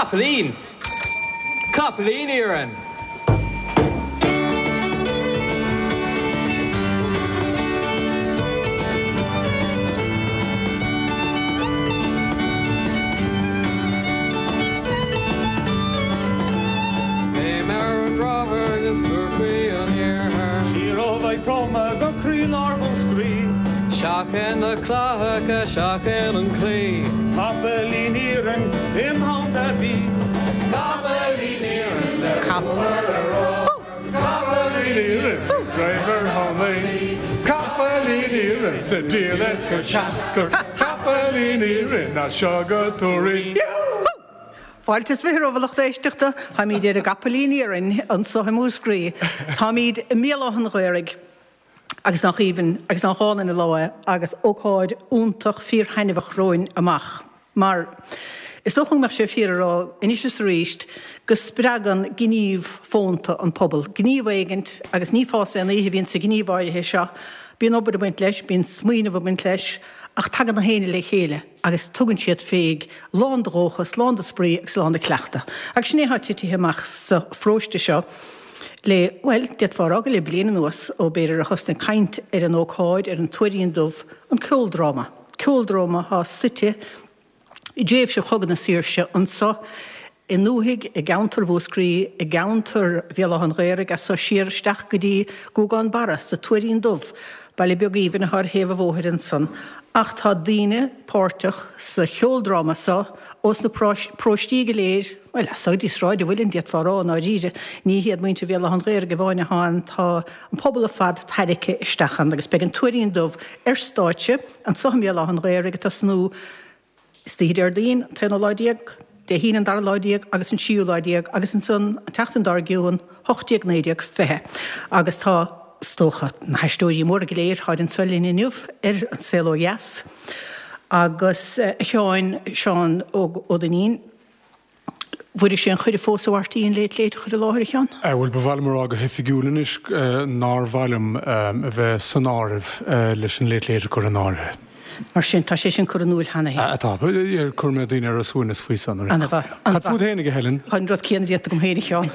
Capaillín! Capaillín iarainn! Léim ar an gcráthair agus tabhair faoi an iarthar. Siar ó Mhaigh Chromtha go croílár Mhúscraí. Seachain na clathacha, seachain an claí. Capaillín iarainn im theannta bí. Capaillín iarainn le ruathar ar rothar. Capaillín iarainn greim ar thonnaí. Capaillín iarainn sa diallait go seascair. Capaillín iarainn as seo go Toraigh. Fáilte is bhfiche romhaibh a lucht éisteachta. Táimíd ar an gCapaillín Iarainn anso i Múscraí. Táimíd i mBéal Átha an Ghaorthaidh agus nach aoibhinn agus nach álainn an lá é agus ócáid iontach fíor-thaitneamhach romhainn amach. Mar is dócha go mbeadh sé fíor a rá anois is arís go spreagann gníomh fónta an pobal. Gníomh éigint, agus ní fás aon oíche a bhíonn sa ghníomh áirithe seo. Bíonn obair ag baint leis, bíonn smaoineamh ag baint leis, ach tagann na héinne le chéile agus tugann siad féig, lán de dhóchas, lán de spraoi agus lán de chleachtadh. Agus sin é atá titithe amach sa pharóiste seo le, bhuel, d'fhéadfá a rá go le bliain anuas, ó b'fhéidir a thosnaigh caint ar an ócáid, ar an Tuairín Dubh, an ceoldráma. Ceoldráma atá suite i dtréimhse Chogadh na Saoirse anso i ndúthaigh, i gceantar Mhúscraí, i gceantar Bhéal Átha an Ghaorthaidh, as so siar isteach go dtí Guagán Barra sa Tuairín Dubh, baile beag aoibhinn atá ar thaobh an bhóthair ansan. Ach tá daoine páirteach sa cheoldráma so ós na paróistí go léir, bhuel, as so go dtí Sráid an Mhuilinn, d'fhéadfá a rá, i ndáiríre. Ní hiad muintir Bhéal Átha an Ghaorthaidh amháin atá ann, tá an pobal ar fad tarraicthe isteach ann agus beidh an Tuairín Dubh ar stáitse anso i mBéal Átha an Ghaorthaidh ag tosnú Istoíche Déardaoin, an t-aonú lá déag, Dé hAoine an dara lá déag agus an tríú lá déag agus ansan an tseachtain dár gcionn, 18, 19, 20. Agus tá, is dócha, na haisteoirí móra go léir, táid anso linn inniu ar An Saol Ó Dheas. Agus a Sheáin, Seán Óg Ó Duinnín, Bhfuairis aon chuireadh fós, a Mháirtín, Late Late a chur i láthair, a Sheáin? Bhuel, ba mhaith liom a rá go hoifigiúil anois nár mhaith liom a bheith san áireamh leis an Late Late a chur in áirithe. Mar sin, tá sé sin curtha in iúl cheana féin. Tá. Chuir mé daoine ar a suaimhneas faoi san. An-mhaith. Cad fút fhéinig, a Helen? Tá an rud céanna déanta agam féin, a Sheáin.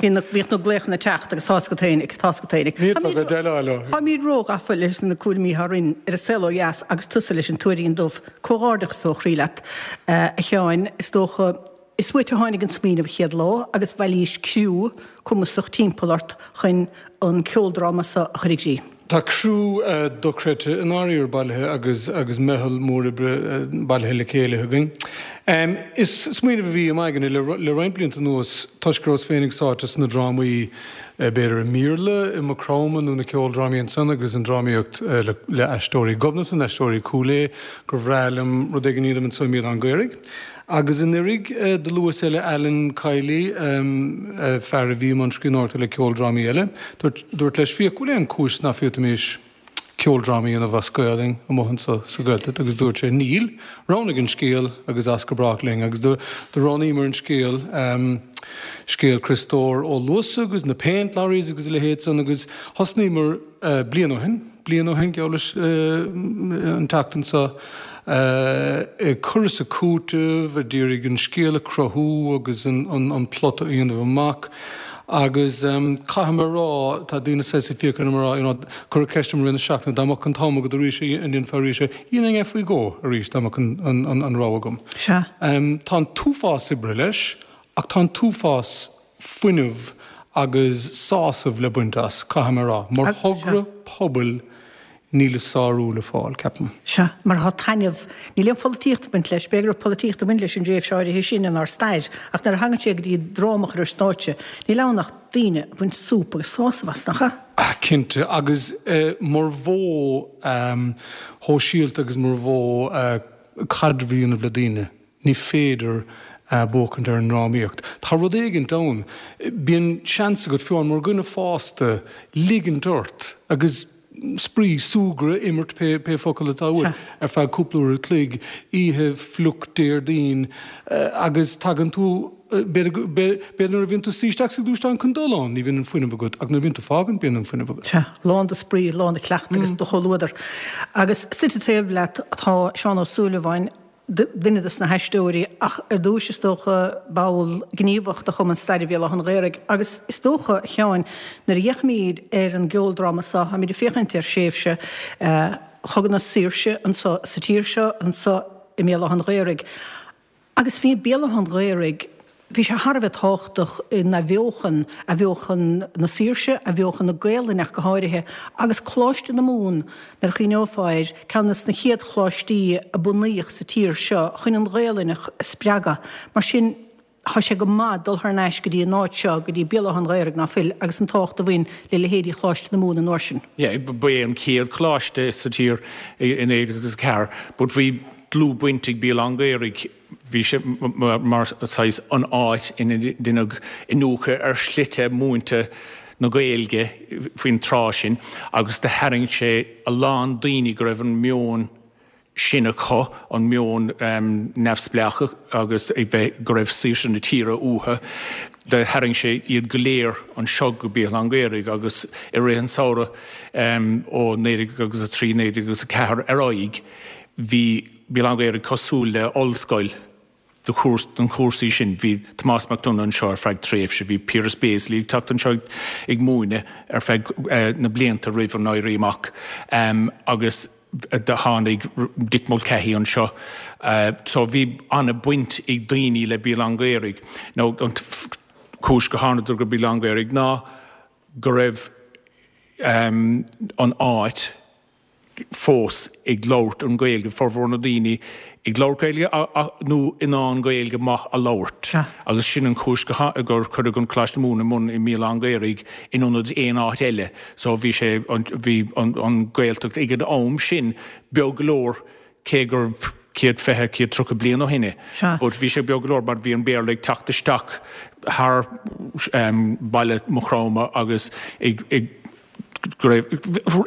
Bhíodh na glaochanna ag teacht agus tá's agat fhéinig, tá's agat fhéinig. Ní fhéadfá bheith déileáil leo. Táimid róghafa leis na cúraimí atá orainn ar an saol ó dheas agus tusa leis an Tuairín Dubh. Comhghairdeachas ó chroí leat, a Sheáin. Is dócha, is uait a tháinig an smaoineamh an chéad lá agus bhailís criú cumasach timpeall ort chun an ceoldráma so a chur i gcrích. Tá criú dochreidte i ndáiríre bailithe agus agus meitheal mór oibre bailithe le chéile againn. Is smaoineamh a bhí i m'aigne le le roinnt blianta anuas toisc go rabhas féinig sáite sna drámaí b'fhéidir i mBéarla, i Maigh Chromtha nó na ceoldrámaí ansan agus an drámaíocht le Aisteoirí Ghobnatan, Aisteoirí Chúil Aodha, gur bhreá liom rud éigin a dhéanamh anso i mBéal Átha an Ghaorthaidh. Agus anuraidh do luas eile Alan Kiely, fear a bhí i mbun scríbhneoireachta le ceoldrámaí eile, dúrt leis, Fiach, bhfuil aon chúis ná féadfaimis ceoldráma a dhéanamh as Gaolainn amuigh anso sa Ghaeltacht agus dúirt sé, Níl, roghnaigh an scéal agus as go brách linn. Agus do roghnaíomar an scéal, scéal Chriostóir Ó Luasa agus na Paint Lorries agus a leithéid san agus thosnaíomar bliain ó shin, bliain ó shin, geall leis an tseachtain seo, ag cur is ag cúiteamh, ag iarraidh an scéal a chruthú agus an plota a dhéanamh amach. Agus caithfidh mé a rá, tá daoine saghas ag fiacra orm a rá, you know, cuireadh ceist orm i rith na seachtaine, dá mbeadh an t-am agat arís, an ndéanfá arís é? Dhéanfainn é faoi dhó arís dá mbeadh an rogha agam. Sea. Tá an t-uafás oibre leis, ach tá an t-uafás fuinneamh agus sásamh le baint as, caithfidh mé a rá. Mar thogra pobail, níl a sárú le fáil, ceapaim. Sea, mar tá taitneamh. Níl aon pholaitíocht ag baint leis. B'fhéidir go raibh polaitíocht ag baint leis an dtréimhse áirithe sin inár stair, ach nuair a thagann sé go dtí dráma a chur ar stáitse, níl ann ach daoine ag baint súp agus sásamh as, nach ea? Cinnte, agus mar mhodh shóisialta agus mar mhodh caidreamh a dhéanamh le daoine. Ní féidir buachaint ar an ndrámaíocht. Tá rud éigint ann. Bíonn seans agat, fiú amháin mar dhuine fásta, ligint ort agus spraoi, súgradh, imirt, pé focal atá uait, ar feadh cúpla uair a chloig, oíche fliuch Déardaoin, agus tagann tú, b'fhéidir nuair a bhíonn tú suí isteach sa ghluaisteán chun dul ann, ní bhíonn an fuinneamh agat, ach nuair a bhíonn tú ag fágaint, bíonn an fuinneamh agat. Sea, lán de spraoi, lán de chleachtadh agus de chomhluadar. Agus suite taobh leat tá Seán Ó Súilleabháin. duine dos na haisteoirí, ach ar dtúis, is dócha, ball gníomhach de Chumann Staire Bhéal Átha an Ghaorthaidh. Agus is dócha, a Sheáin, nuair a fhéachaimid ar an gceoldráma seo, táimid ag féachaint ar thréimhse Chogadh na Saoirse anso sa tír seo, anso i mBéal Átha an Ghaorthaidh. Agus bhí Béal Átha an Ghaorthaidh, bhí sé thar a bheith tábhachtach in athbheochan, athbheochan na saoirse, athbheochan na Gaelainne ach go háirithe, agus Coláiste na Mumhan, nuair a chuimhneofá air, ceann de na chéad choláistí a bunaíodh sa tír seo chun an Ghaelainn a spreagadh. Mar sin, tá sé go maith dul thar n-ais go dtí an áit seo, go dtí Béal Átha an Ghaorthaidh, ná fuil, agus an tábhacht a bhain le leithéidí Choláiste na Mumhan an uair sin. Yeah, ba é an chéad choláiste sa tír i 1904, but bhí dlúthbhaint ag Béal Átha an Ghaorthaidh, bhí sé mar saghas an áit ina ndeineadh iniúchadh ar shlite múinte na Gaeilge faoin tráth sin agus do tharraing sé a lán daoine go raibh an meon sin acu, an meon neamhspleách agus a bheith, go raibh saoirse na tíre uathu. Do tharraing sé iad go léir anseo go Béal Átha an Ghaorthaidh agus i rith an samhradh ó 1903, 1904 ar aghaidh, Bhí Béal Átha an Ghaorthaidh cosúil le ollscoil do na cúrsaí sin. Bhí Tomás Mac Donagh anseo ar feadh tréimhse, bhí Piaras Béaslaí ag teacht anseo ag múineadh ar feadh na blianta roimh an Éirí Amach agus do tháinig Dick Mulcahy anseo. So bhí an-baint ag daoine le Béal Átha an Ghaorthaidh. Now an chúis go thánadar go Béal Átha an Ghaorthaidh ná go raibh an áit, fós ag labhairt an Ghaeilge, formhór na daoine ag labhairt Gaeilge nó in ann Gaeilge maith a labhairt agus sin an chúis gur cuireadh an Coláiste Mumhan i mbun i mBéal Átha an Ghaorthaidh in ionad aon áit eile. So bhí sé, bhí an Ghaeltacht ag an am sin beag go leor cé gur 120, 130 bliain ó shin é. But bhí sé beag go leor mar bhí an Béarla ag teacht isteach thar baile Maigh Chromtha agus ag go raibh,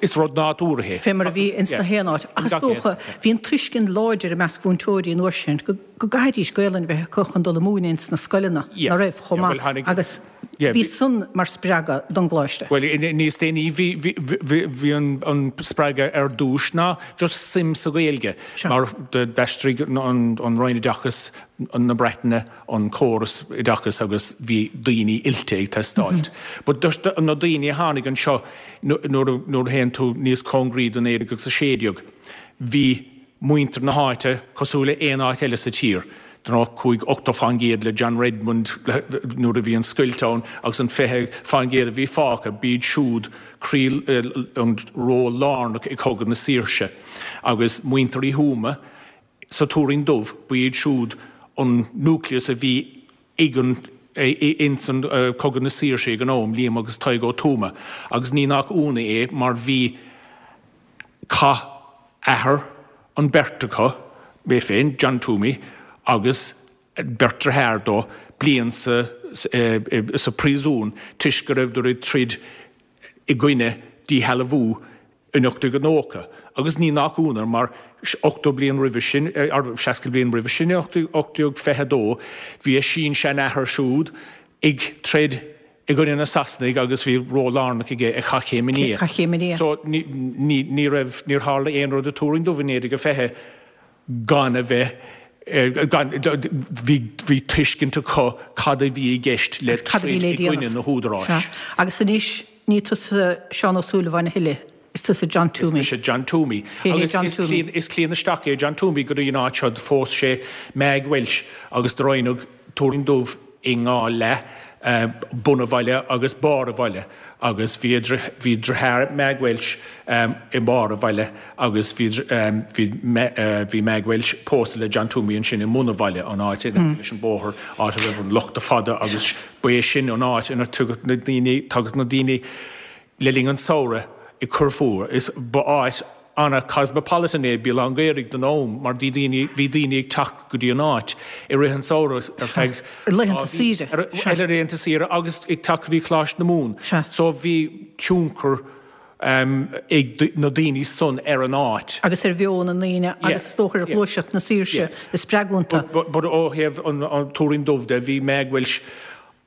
is rud nádúrtha é. Fé mar a bhí ins na haon áit. Ach is dócha, bhí an tuiscint láidir i measc mhúinteoirí an uair sin go gcaithfidís Gaolainn a bheith acu chun dul ag múineadh ins na scoileanna, ná raibh, chomh maith, agus bhí san mar spreagadh don gcoláiste. Bhuel, níos déanaí bhí, bhí, bhí an spreagadh ar dtús ná just suim sa Ghaeilge, mar d'aistrigh an Roinn Oideachais na Breataine, an córas oideachais agus bhí daoine oilte ag teastáilt. But just na daoine a tháinig anseo nuair a théann tú níos cóngaraí do 1916, bhí muintir na háite cosúil le aon áit eile sa tír. D'you know chuaigh 80% le John Redmond nuair a bhí an scoilt ann agus an 20% a bhí fágtha, b'iad siúd croí an ról lárnach i Cogadh na Saoirse. Agus muintir Uí Thuama, Sa Tuairín Dubh, ba iad siúd an nucleus a bhí ag an ins an Cogadh na Saoirse ag an am, Liam agus Tadhg Ó Tuama, agus ní nach ionadh é mar bhí chaith athair an beirt acu, mé féin, John Twomey, agus beirt deartháir dó, bliain sa sa príosún toisc go rabhadar ag troid i gcoinne díshealbhú in 1890, agus ní nach ionadh mar 80 bliain roimhe sin, 60 bliain roimhe sin, in 1822, bhí a sin-seanathair siúd ag troid i gcoinne na Sasanaigh agus bhí ról lárnach aige i Chath Chéim an Fhia. So ní raibh, níor tharla aon rud i Tuairín Dubh in 1920 gan a bheith, gan, bhí, bhí tuiscint acu cad a bhí i gceist le troid i gcoinne na húdaráis. Agus anois Ní tusa Seán Ó Súilleabháin a thuilleadh, is tusa John Twomey. Is mise John Twomey. Cé hé John Twomey? Agus is claon isteach é John Twomey go dtí an áit seo. Phós sé Meg Walsh agus do roinneadh Tuairín Dubh i ndhá leath, bun an bhaile agus barr an bhaile. Agus bhí bhí deartháir Meg Walsh i mbarr an bhaile agus bhí bhí bhí Meg Walsh pósta le John Twomey ansin i mbun an bhaile, an áit in aice leis an bóthar, áit a raibh an lochta fada agus Ba é sin an áit ina dtagadh na daoine, tagadh na daoine le linn an tsamhraidh ag cur fúthu. Is ba áit ana-cosmopolitan é Béal Átha an Ghaorthaidh don am mar bhí daoine, bhí daoine ag teacht go dtí an áit i rith an tsamhraidh ar feadh Ar laethanta saoire. Ar laethanta saoire agus ag teacht go dtí Coláiste na Mumhan. So bhí tionchar ag na daoine san ar an áit. Agus ar mheon na ndaoine agus is dócha ar ghluaiseacht na saoirse a spreag iontu. But ó thaobh an Tuairín Dubh de, bhí Meg Walsh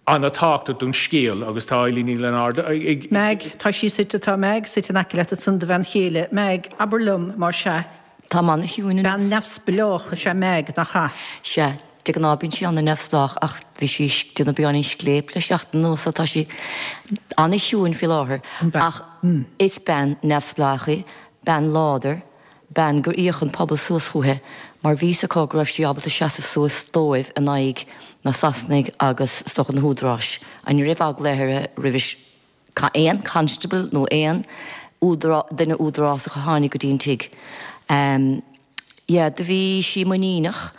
an-tábhachtach don scéal agus tá Eileen Ní Lionáird ag. Meg, tá sí suite, tá Meg suite in aice leat ansan, do bhean chéile. Meg, abair liom, más ea. Táim an-chiúin inniu. Bean neamhspleách is ea Meaig, nach ea? Sea. De ghnáth bíonn sí an-neamhspleách ach bhí sí ag déanamh beagáinín scléip le seachtain anuas so tá sí an-chiúin faoi láthair. Ach is bean neamhspleách í, bean láidir, bean gur íoc an pobal suas chúithi mar bhí fhios acu go raibh sí ábalta seasamh suas dóibh in aghaidh na Sasanaigh agus is dócha na húdaráis. Ní raibh eagla uirthi roimh aon constable nó aon duine údarásach a tháinig go dtí an tigh. Yeah, do bhí sí muiníneach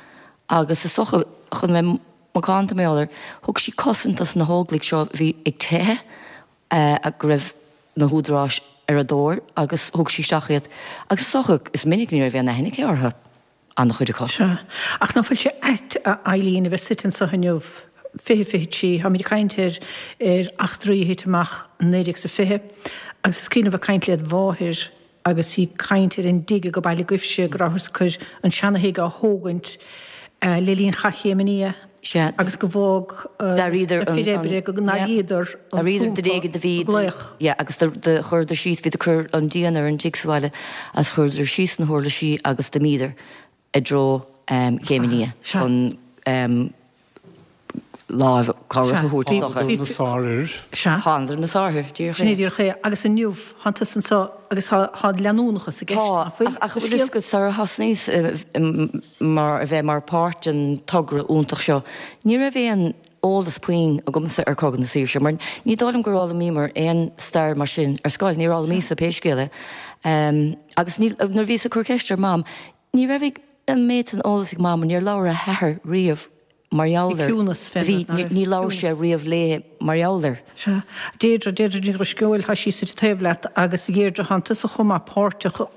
agus is dócha, chun a bheith macánta mar gheall air, thug sí cosaint dos na hóglaigh seo a bhí ag teitheadh go raibh na húdaráis ar a dtóir agus thug sí isteach iad agus is dócha, is minic ní raibh aon aithne aici orthu. an-chuid acu. Sea. Ach ná fuil sé ait, a Eileen, a bheith suite anso inniu, 2023, táimid ag caint ar ar eachtraí a thit amach 1920, agus is cuimhin liom bheith ag caint led mháthair agus í ag caint ar an dtigh ag baile agaibhse, go rabhthas ag cur an seana-thigh á thógaint le linn Chath Chéim an Fhia. Sea. Agus go bhfág na fir oibre, go n-airíodar an trumpa ag glaoch. Yeah, agus do chuireadar síos, bhíodar ag cur an díon ar an dtigh sa bhaile agus chuireadar síos na huirlisí agus d'imíodar i dtreo Chéim an Fhia chun lámh cabhrach a thabhairt is dócha. Thánadar na sárfhir. Sea. Thánadar na sárfhir, díreach é. Sin é díreach é. Agus inniu, thánn tusa anseo agus tá leanúnachas i gceist, ná fuil? Tá, ach bhfuil fhios agat, sar a thosnaíos mar a bheith mar páirt den togra iontach seo, ní raibh aon eolas puinn agamsa ar Cogadh na Saoirse, mar ní dóigh liom gur fhoghlaimíomar aon stair mar sin ar scoil, níor fhoghlaimíos-sa pé scéal é. Agus ní, nuair a bhíos ag cur ceiste ar Mam, ní raibh an méid san eolas ag Mam, níor labhair a hathair riamh mar gheall air. Ciúnas fén Bhí, ní labhair sé riamh léi mar gheall air. Sea. Deirdre, Deirdre Ní Dhrisceoil, tá sí suite taobh leat agus a Dheirdre, thánn tusa chomh maith páirteach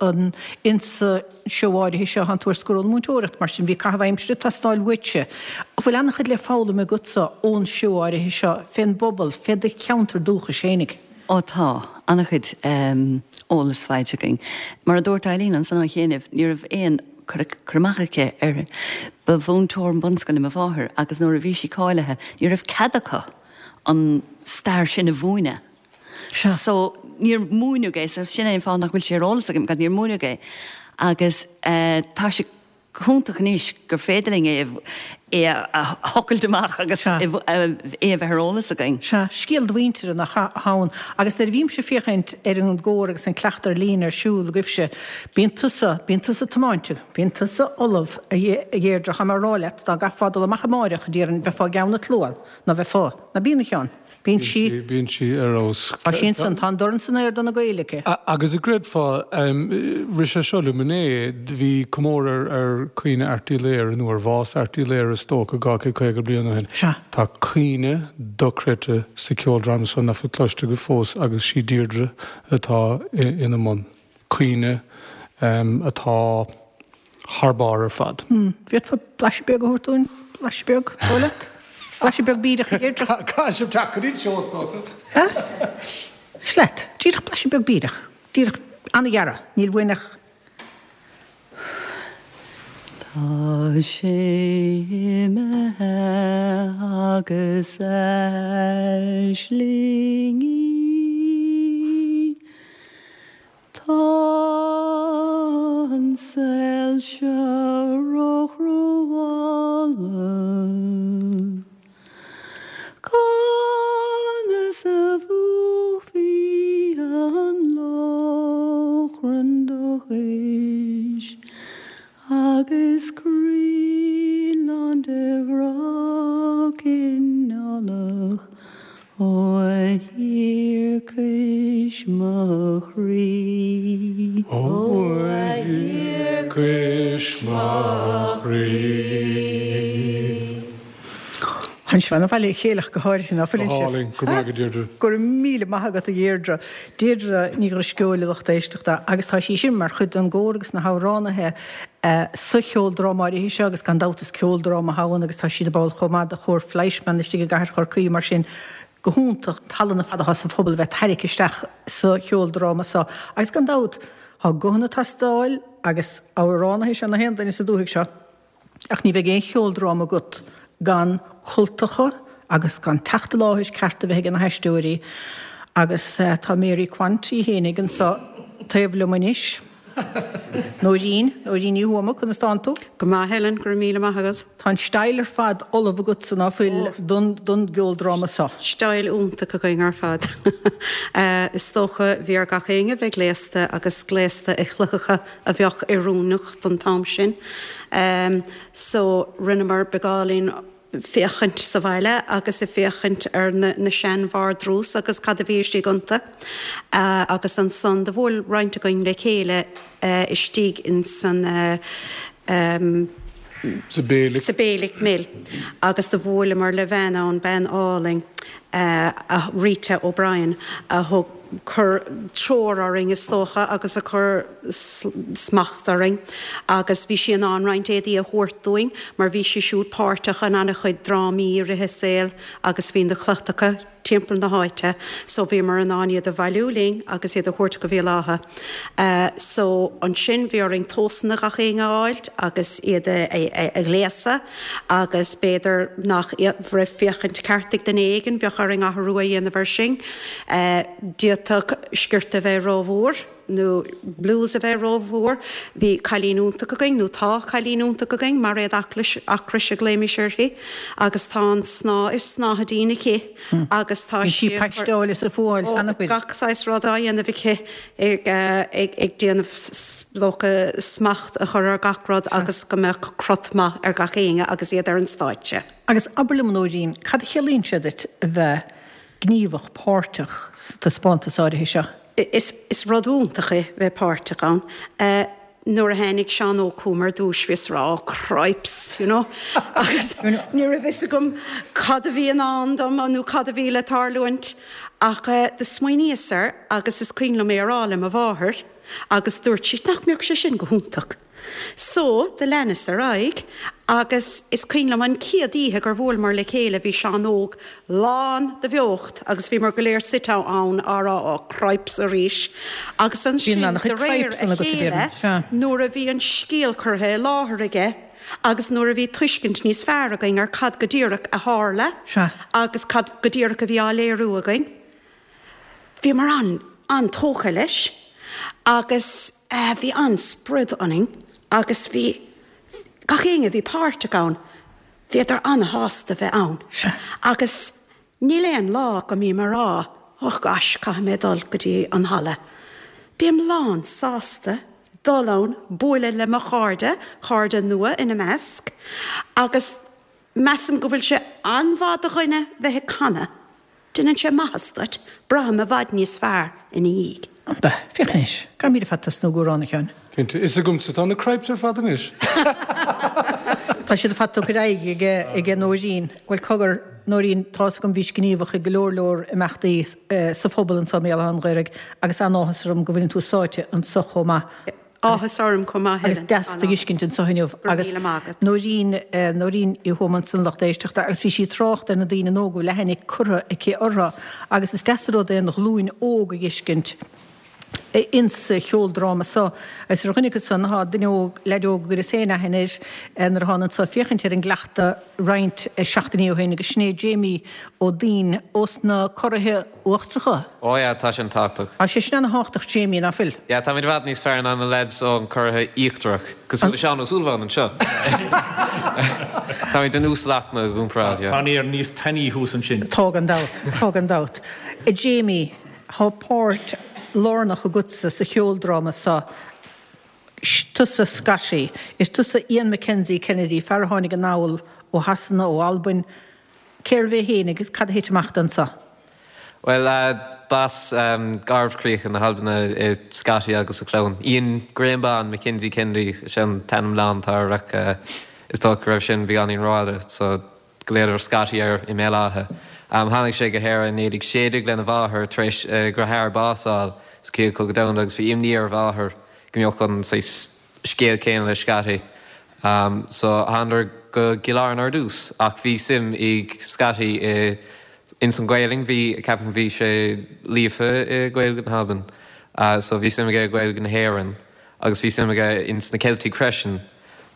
insa seó áirithe seo, thánn tú ar scor ón múinteoireacht, mar sin bhí caitheamh aimsire ag teastáil uaitse. An bhfuil an-chuid le foghlaim agatsa ón seó áirithe seo fén bpobal, fé do cheantar dúchais fhéinig? Ó tá, an-chuid eolas faighte againn. Mar a dúirt Eileen ansan ó chianaibh, ní raibh aon cur amach aici air. Ba mhúinteoir bunscoile mo mháthair agus nuair a bhí sí cáilithe ní raibh cead acu an stair sin a mhúineadh. So níor múineadh é, so sin é an fáth nach bhfuil sé ar eolas agam, níor múineadh é. Agus tá sé go hiontach anois gur féidir linn é é a thochailt amach agus é a bheith ar eolas againn. Sea, scéal do mhuintire nach ea atá ann. Agus nuair a bhímse ag féachaint ar an gcór agus an cleachtadh ar líne ar siúl agaibhse, bíonn tusa, bíonn tusa tiomáinte, bíonn tusa ullamh, a Dheirdre, tá mé a rá leat, dá gcaithfeá dul amach amáireach, déarfainn, bheifeá i gceann an tslua, ná bheifeá? Ná bíonn, a Sheáin? Bíonn sí. Bíonn sí ar fheabhas. Tá sí ansan, tá an dorn san aer do na Gaeil aici. Agus an gcreidfeá, rith sé seo liom inné, bhí comóradh ar caoineadh Airt Uí Laoghaire, nó ar bhás Airt Uí Laoghaire is dócha, 250 bliain ó shin. Sea. Tá caoineadh dochreidte sa cheoldráma seo nach bhfuil cloiste agaibh fós agus sí Deirdre atá ina mbun. Caoineadh atá thar barr ar fad. Bhféadfá blaiseadh beag a thabhairt dúinn? Blaiseadh beag, dóigh leat? Blaiseadh beag bídeach, a Dheirdre. Caithfidh sibh teacht go dtí an seó, is dócha. Is leat. Díreach blaiseadh beag bídeach. Díreach an-ghearr. Níl uainn ach. Tá sé imithe agus aislingí. Tá an saol seo róchruálach. Conas a mhúchfaí an lóchrann dóchais agus croí lán de ghrá cineálach Ó a thiarcais mo chroí. Ó a thiarcais mo chroí. Tánn sibh ana-bhailithe le chéile ach go háirithe, ná fuileann sibh? Go hálainn, go raibh maith agat Deirdre. Go raibh míle maith agat a Dheirdre. Deirdre Ní Dhrisceoil a lucht éisteachta agus tá sí sin mar chuid den gcór agus na hamhránaithe sa cheoldráma áirithe seo agus gan dabht is ceoldráma atá ann agus tá siad ina ball chomh maith de Chór Fleischmann istigh i gcathair Chorcaí mar sin go hiontach an tallann ar fad atá sa phobal a bheith tarraicthe isteach sa cheoldráma seo agus gan dabht tá guthanna ag teastáil agus amhránaithe is ea na haon duine sa dúthaigh seo ach ní bheidh aon cheoldráma agat gan cultacha agus gan teacht i láthair ceart a bheith ag na haisteoirí agus tá Mary Quant í fhéinig anseo taobh liom anois. Nóirín, Nóirín Ní Thuama, conas tánn tú? Go maith Helen, go raibh míle maith agat. Tá an style ar fad ullamh agatsa, ná fuil, don don gceoldráma seo? Style iontach againn ar fad. Is dócha bhí ar gach éinne bheith gléasta agus gléasta i cloitheacha a bheadh oiriúnach don t-am sin. So rinneamar beagáinín féachaint sa bhaile agus ag féachaint ar na sean-vardrús agus cad a bhí istigh iontu. Agus ansan do bhuail roinnt againn le chéile istigh ins an Sa Bailick. Sa Bailick Mill agus do bhuaileamar le bhean ann, bean álainn, Rita O'Brien, a thug chuir treoir orainn is dócha agus a chuir smacht orainn agus bhí sí in ann roinnt éadaí a thabhairt dúinn mar bhí sí siúd páirteach in an-chuid drámaí i rith a saoil agus bhí na cloitheacha timpeall na háite so bhíomar in ann iad a bhailiú linn agus iad a thabhairt go Béal Átha. So ansin bhí orainn tomhasanna gach éinne a fháilt agus iad a ghléasadh agus b'fhéidir nach raibh féachaint ceart ag duine éigin, bheadh orainn athrú a dhéanamh ar sin. D'fhéadfadh sciorta a bheith rómhór nó blús a bheith rómhór. Bhí cailín iontach againn, nó tá cailín iontach againn, Mairéad Aclais, Acrais a ghlaoimis uirthi, agus tá an snáth is snáthaidín aici agus tá sí ag paisteáil is ag fuáil cheana féin. Gach saghas rud á dhéanamh aici ag déanamh is dócha smacht a chur ar gach rud agus go mbeadh crot maith ar gach éinne agus iad ar an stáitse. Agus abair liom, a Nóirín, cad a chiallaíonn sé duit a bheith gníomhach, páirteach sa taispeántas áirithe seo? Is rud iontach é bheith páirteach ann. Nuair a tháinig Seán Óg chugam ar dtúis bhíos ag rá oh cripes, you know, agus ní raibh fhios agam cad a bhí i ndán dom nó cad a bhí le tarlúint. Ach do smaoiníos air agus is cuimhin liom é a rá le mo mháthair agus dúirt sí nach mbeadh sé sin go hiontach. So, do leanas ar aghaidh agus is cuimhin liom an chéad oíche gur bhuaileamar le chéile bhí Seán Óg lán de bheocht agus bhíomar go léir suite ann á rá oh cripes arís agus ansin de réir a chéile nuair a bhí an scéal curtha i láthair aige agus nuair a bhí tuiscint níos fearr againn ar cad go díreach a tharla agus cad go díreach a bhí á léiriú againn. Bhíomar an-an-tógtha leis agus bhí an-sprid ionainn agus bhí gach éinne a bhí páirteach ann, bhíodar an-shásta bheith ann. Agus níl aon lá go mbím ag rá oh gosh caithfidh mé dul go dtí an halla. Bím lán sásta dul ann, bualadh le mo chairde, cairde nua ina measc, agus measaim go bhfuil sé an-mhaith do dhuine bheith ag canadh. Déanann sé maitheas duit, braithim i bhfad níos fearr ina dhiaidh. Ab ea? Féach anois. Caithfimid ar fad tosnú ag amhrán, a Sheáin. Cinnte. Is agamsa atá na cripes ar fad anois. Tá siad ar fad tugtha ar aghaidh aige Nóirín. Bhuel, cogar, Nóirín, tá's agam bhís gníomhach i go leor leor imeachtaí sa phobal anseo i mBéal Átha an Ghaorthaidh agus an-áthas orm go bhfuileann tú sáite anseo chomh maith. Áthas orm chomh maith, Helen. Agus deas tú a fheiscint anseo inniu. Agus Nóirín, Nóirín Uí Thuama ansan lucht éisteachta agus bhí sí ag trácht ar na daoine óga go bhfuil aithne curtha aici orthu agus is deas an rud é an ghlúin óg a fheiscint insa cheoldráma seo. Agus ar dhuine acu san tá duine óg, leaid óg a gcuireas féin aithne air nuair a thána anso ag féachaint ar an gcleachtadh roinnt seachtainí ó shin agus sin é Jamie Ó Duinn ós na Curraithe Uachtaracha. Ó yeah, tá sin tábhachtach. Tá sé sin ana-thábhachtach Jamie, ná fuil? Yeah, táimid i bhfad níos fearr ná na lads ón Curraithe Íochtarach, cosúil le Seán Ó Súilleabháin anseo. Táimid den uasalaicme i gcomparáid, yeah. Tá an aer níos tanaí thuas ansin. Tá gan dabht, tá gan dabht. A Jamie, tá páirt lárnach agatsa sa cheoldráma seo. Tusa Scotty. Is tusa Ian Mackenzie Kennedy, fear a tháinig anall ó Shasana, ó Albain. Cérbh é féin agus cad a thit amach dó anso? Bhuel, b'as Garbhchríocha na hAlban é Scotty agus a chlann. Ian Graham Bán Mackenzie Kennedy is ea an t-ainm lán atá air ach is dócha go raibh sin beagáinín rófhada so ghlaodar Scotty air i mBéal Átha. Tháinig sé go hÉirinn i 1916 lena mháthair tar éis a dheartháir bás a fháil sa Chéad Chogadh Domhanda agus bhí imní ar a mháthair go mbeadh an saghas scéal céanna le Scotty. So thánadar go gCill Airne ar dtús ach bhí suim ag Scotty i ins an Ghaelainn, bhí, ceapaim bhí sé líofa i Gaeilge na hAlban so bhí suim aige i Gaeilge na hÉireann agus bhí suim aige ins na Ceiltigh freisin.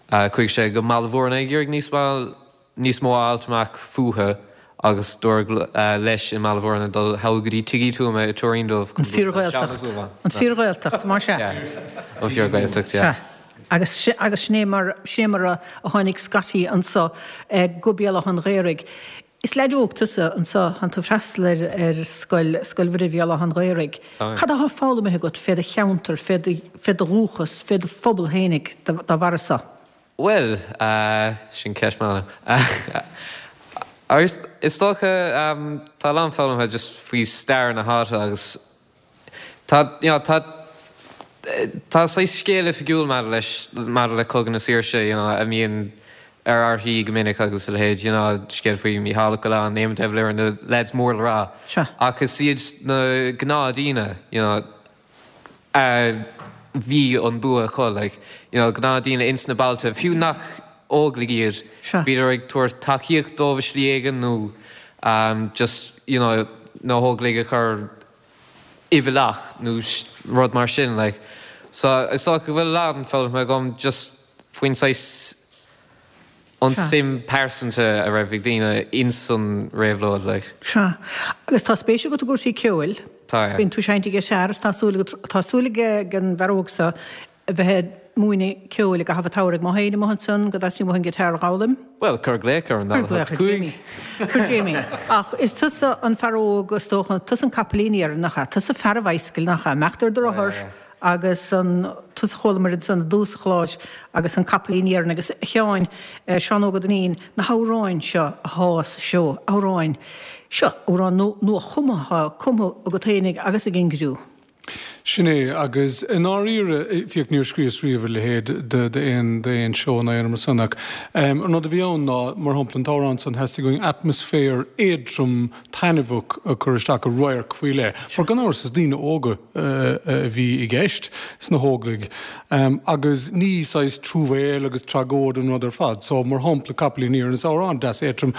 Chuaigh sé go mBaile Mhúirne ag iarraidh níos mó níos mó a fháilt amach fúthu. Agus dúradh leis i mBaile Bhuirne dul thall go dtí Tigh Uí Tuama i Tuairín Dubh An fíor-Ghaeltacht. An fíor-Ghaeltacht, más ea. An fíor-Ghaeltacht, yeah. Sea. Agus, agus sin é mar, sin é mar a tháinig Scotty anso go Béal Átha an Ghaorthaidh. Is leaid óg tusa anso, tánn tú ag freastal ar, ar scoil, Scoil Mhuire Bhéal Átha an Ghaorthaidh. Tá. Cad athá foghlamtha agat fé do cheantar, fé do, fé do dhúchas, fé do phobal fhéinig dá bharra so? Bhuel, sin ceist maith. Agus is dócha, tá a lán foghlamtha just faoi stair na háite agus tá, you know, tá, tá saghas scéal oifigiúil maidir leis, maidir le Cogadh na Saoirse, you know, a mbíonn ar RTÉ go minic agus a leithéid, you know, scéal faoi Mícheál Ó Coileáin, Éamon de Valera, na lads mór le rá. Sea. Ach is iad na gnáthdhaoine, you know, a bhí an bua acu, like, you know, gnáthdhaoine ins na bailte, fiú nach Óglaigh iad, bhíodar ag tabhairt tacaíocht dóibh i slí éigin nó just, you know, na hÓglaigh a chur i bhfolach nó rud mar sin, like. So, is dócha go bhfuil a lán foghlamtha agam just faoin saghas an suim pearsanta a raibh ag daoine ins an réabhlóid, like. Sea. Agus tá spéis agat i gcúrsaí ceoil. Tá, yeah. Bíonn tú ag seinnt guitar is tá súil agat, tá súil ag an bhfear óg seo a bheith ag múineadh ceoil i gcaitheamh an tsamhraidh. Má théinn amuigh ansan go dteastaíonn uait an guitar a dh'fhoghlaim. Bhuel, cuir glaoch ar an Cuir glaoch ar Jamie. Cuir Jamie. Ach is tusa an fear óg is dócha, tusa an capaillín iarainn, nach ea? Tusa fear an bhicycle, nach ea? Imeacht ar do rothar. Yeah. Agus an tusa a chualamar ansan i dtús an chláir agus an capaillín iarainn agus a Sheáin, Seán Óg Ó Duinnín, na hamhráin seo athá sa seó, amhráin, seo amhráin nua-chumtha athá cumtha agat fhéinig agus ag an gcriú. Sin é, agus i ndáiríre, fiach, níor scríos riamh a leithéid d'aon seó ná aon rud mar san ach an rud a bhí ann ná, mar shampla, an t-amhrán san, theastaigh uainn atmaisféar éadtrom taitneamhach a chur isteach i radharc faoi leith, mar gan amhras is daoine óga a bhí i gceist sna hÓglaigh agus ní saghas truamhéil agus tragóid an rud ar fad. So, mar shampla, Capaillín Iarainn, is amhrán deas éadtrom,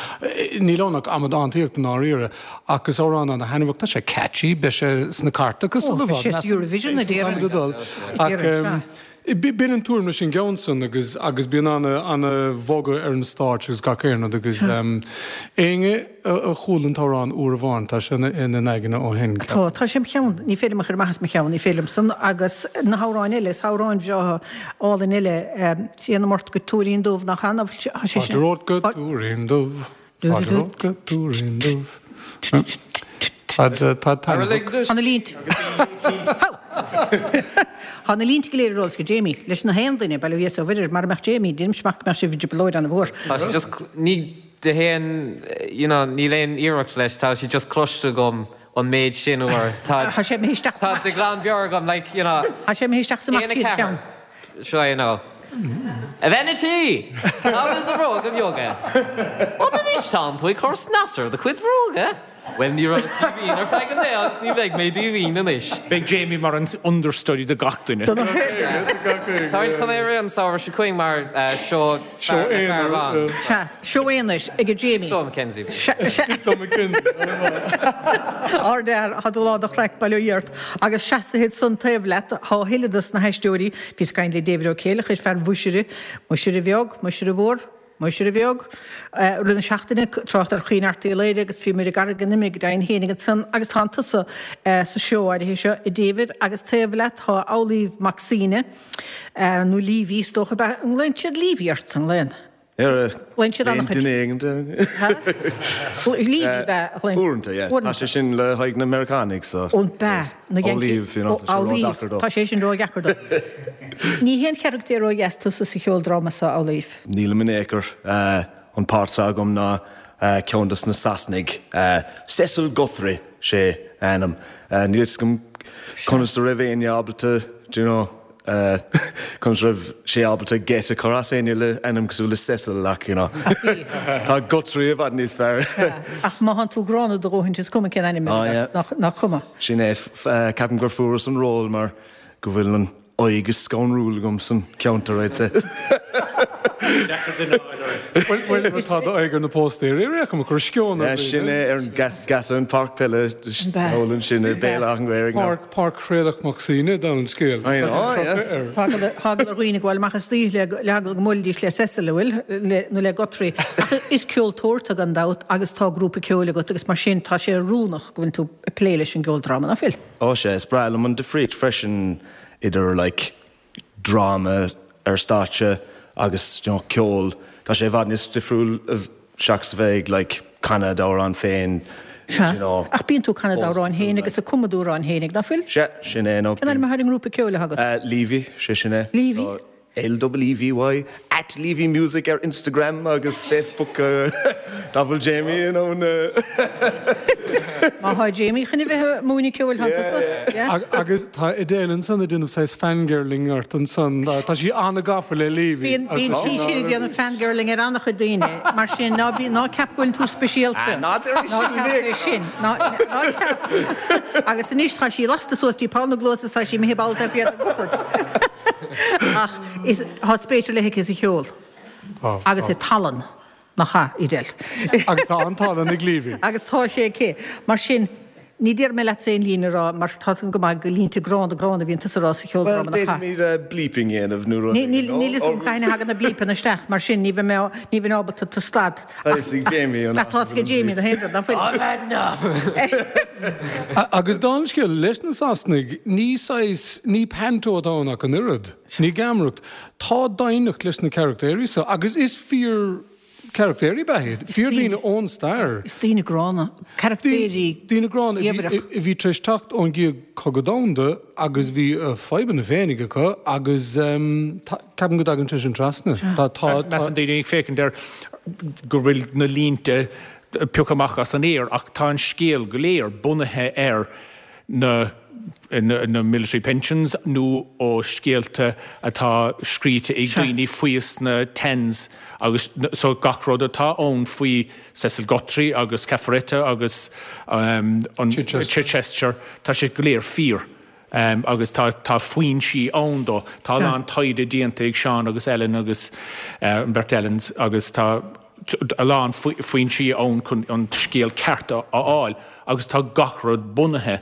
níl ann ach amadántaíocht i ndáiríre, ach is amhrán ana-thaitneamhach, tá sé catchy, beidh sé sna cairteacha sula i bhfad, measaim. Eurovision a déarfainn. Ach B'in an tuairim leis an gceann san agus agus bíonn ana ana bhogadh ar an stáitse agus gach aon rud agus éinne a chuala an t-amhrán uair amháin tá sé ina n-aigne ó shin. Tá, tá sé im cheann, ní féidir liom a chur amach as mo cheann, ní féidir liom san agus na hamhráin eile, is amhráin bhreátha álainn eile, Téanam ort go Tuairín Dubh nach ea, ná fuil sé sin. Fáilte romhat go Tuairín Dubh. Fáilte romhat go Tuairín Dubh. Tá taitneamhach. Tá na línte. Tá na línte go léir ar eolas ag Jamie. Leis na haon duine, bail ó Dhia is ó Mhuire air, mara mbeadh Jamie, deinimse amach go mbeadh sibh i dtrioblóid ana-mhór. Tá sé just, ní de haon, you know, níl aon iarracht leis, tá sé just cloiste agam an méid sin uair. Tá sé imithe isteach sa Tá de ghlanmheabhair agam, like, you know. Tá sé imithe isteach sa mac tíre cheann. Seo é nó. A bhean a' tí! Cá bhfuil do bhróga beaga? An anois tánn tú ag cur snas ar do chuid bhróga? Bhuel, ní rabhas díomhaoin ar feadh an lae agus ní bheidh mé díomhaoin anois. Beidh Jamie mar an understudy do gach duine. Táimid chun é a rith an samhradh seo chugainn mar seó fear le fear amháin. Sea, seó aonair ag Jamie. Schizo McKenzie. Schizo McKenzie. Ardfhear, tá tú lán de chraic, bail ó Dhia ort. Agus seasaithe ansan taobh leat tá a thuilleadh dos na haisteoirí. Bhíos ag caint le David Ó Céileachair, fear Mhuisire, Muisire Bheag, Muisire Mhór, Muisire Bheag, rith na seachtaine, trácht ar Chaoin Airt Uí Laoghaire agus bhíomar i gCarraig an Ime go deimhin fhéinig ansan agus tánn tusa sa seó áirithe seo, a David, agus taobh leat tá Amhlaoibh Mac Suibhne, nó Leavy is dócha, ab ea? An nglaonn siad Leavy ort, an nglaonn? Glaonn siad an-chuid. Duine éigin. Leavy ab ea a ghlaonn. Uaireanta, yeah. Tá sé sin le haghaidh na Meiriceánaigh, so. Ó, ab ea. Na Yankees. Amhlaoibh, you know, tá sé ródheacair dóibh. Tá sé sin ródheacair dóibh. Ní haon charachtar ródheas tusa sa cheoldráma seo, Amhlaoibh. Nílim in aon chor. An páirt atá agam ná ceann dos na Sasanaigh. Cecil Guthrie, sé a ainm. Níl fhios agam conas a raibh éinne ábalta, do you know, Conas a raibh sé ábalta geit a chur as éinne le ainm cosúil le Cecil ach, you know, tá Guthrie i bhfad níos fearr. Ach má thánn tú gránna do dhóthain is cuma cén ainm a bheidh ort, nach cuma? Sin é, ceapaim gur fuaireas an ról mar go bhfuil an. aghaidh is scanrúil agam san ceantar, I'd say. Deacair duine a fháil ort. Bhuel, tá d'aghaidh ar na póstaeirí ar aon chuma, ag cur sceon ar dhaoine. Sin é, ar an geata an páirc peile thall ansin i Béal Átha an Ghaorthaidh. Páirc Thraolach Mac Suibhne, dála an scéil. I know, yeah. Tá eagla ar dhaoine gabháil amach istoíche le heagla go mbuailfidís le Cecil, an bhfuil, nó le Guthrie. Ach is ceoltóir tú gan dabht agus tá grúpa ceoil agat agus mar sin tá sé oiriúnach go bhfuil tú ag plé leis an gceoldráma, ná fuil? Ó sea, is breá liom an difríocht freisin idir like dráma ar stáitse agus you know ceol. Tá sé i bhfad níos difriúil seachas a bheith ag like canadh d'amhrán féin Sea. you know. Ach bíonn tú ag canadh d'amhráin féin agus ag cumadh d'amhráin féinig, ná fuil? Sea, sin é nó. Cén ainm atá ar an ngrúpa ceoil atá agat? Leevy, sé sin é. Leevy? So, L-E-E-V-Y, at Leevy Music ar Instagram agus Facebook dá bhfuil Jamie in ann. Má thá Jamie chun a bheith ag múineadh ceoil thá tusa, yeah. Agus tá Edel ansan ag déanamh saghas fangirling ort ansan, tá sí an-gafa le Leevy. Bíonn, bíonn sí sin ag déanamh fangirling ar an-chuid daoine, mar sin ná bí, ná ceap go bhfuil tú speisialta. Ná deir é sin, Ná ceap é sin, ná, ná ceap. Agus anois tá sí lasta suas dtí poll na gcluas is tá sí imithe ball taobh thiar den gcupard. Ach is, tá spéis ar leith aici sa cheol agus i tallann, nach ea, Edel? Agus tá an tallann ag Leevy. Agus tá sé aici. Mar sin, ní déarfaidh mé leatsa aon líne a rá mar tá's agam go maith gur línte gránna gránna a bhíonn tusa a rá sa cheoldráma, Bhuel, nach ea? d'fhéadfaimid bleeping a dhéanamh nó rud éigin, nó? Níl fhios agam cathain a thagann na blípeanna isteach, mar sin ní bheidh mé, ní bheinn ábalta tú a stad. Tá fhios ag Jamie an Tá fhios ag Jamie na haon rud, nach bhfuil? Agus dála an scéil, leis na Sasanaigh, ní saghas, ní panto atá ann ach an oiread. Ní geamaireacht. Tá doimhneacht leis na carachtéirí seo agus is fíor charachtéirí ab ea iad. Fíor daoine ón stair. Is daoine gránna, carachtéirí Daoine gránna a bhí tar éis teacht ón gCéad Chogadh Domhanda agus bhí a fadhbanna féinig acu agus ceapaim go dtagann sé sin trasna. Tá, tá, tá. Measann daoine ag féachaint air go bhfuil na línte pioctha amach as an aer ach tá an scéal go léir bunaithe ar na na military pensions nó ó scéalta atá scríte ag daoine faoi sna Tans agus so gach rud atá ann faoi Cecil Guthrie agus Cafaretta agus an Chichester tá sé go léir fíor. Agus tá tá foinsí ann dó. Tá a lán taighde déanta ag Seán agus Ellen agus an bheirt Ellens agus tá a lán foinsí ann chun an scéal ceart a fháil agus tá gach rud bunaithe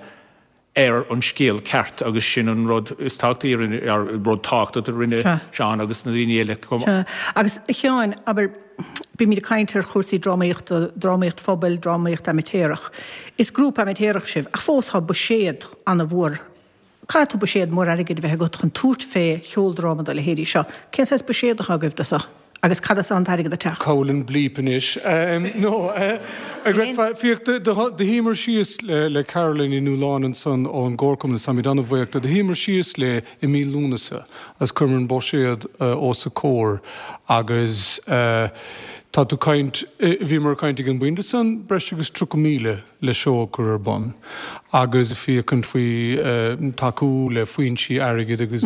ar an scéal ceart agus sin an rud is tábhachtaí a rinne, rud tábhachtach a rinne Seán agus na daoine eile chomh maith. Sea. Agus a Sheáin, abair, bímid ag caint ar chúrsaí drámaíochta, drámaíocht phobail, drámaíocht amaitéarach. Is grúpa amaitéarach sibh, ach fós tá buiséad ana-mhór. Caithfidh tú buiséad mór airgid a bheith agat chun tabhairt fé cheoldráma dá leithéidí seo. Cén saghas buiséad atá agaibh do seo? Agus cad as an t-airgead ag teacht? Cá bhfuil an blíp anois? No, féach, do shuíomar síos le Caroline Ní Nualláin ansan ón gComharchumann, táimid an-bhuíoch di, do shuíomar síos léi i mí Lúnasa agus chuireamar an buiséad os a comhair agus tá tú caint, bhíomar ag caint ag an bpointe san, breis agus 30,000. le seó a chur ar bun agus féachaint faoi tacú le foinsí airgid agus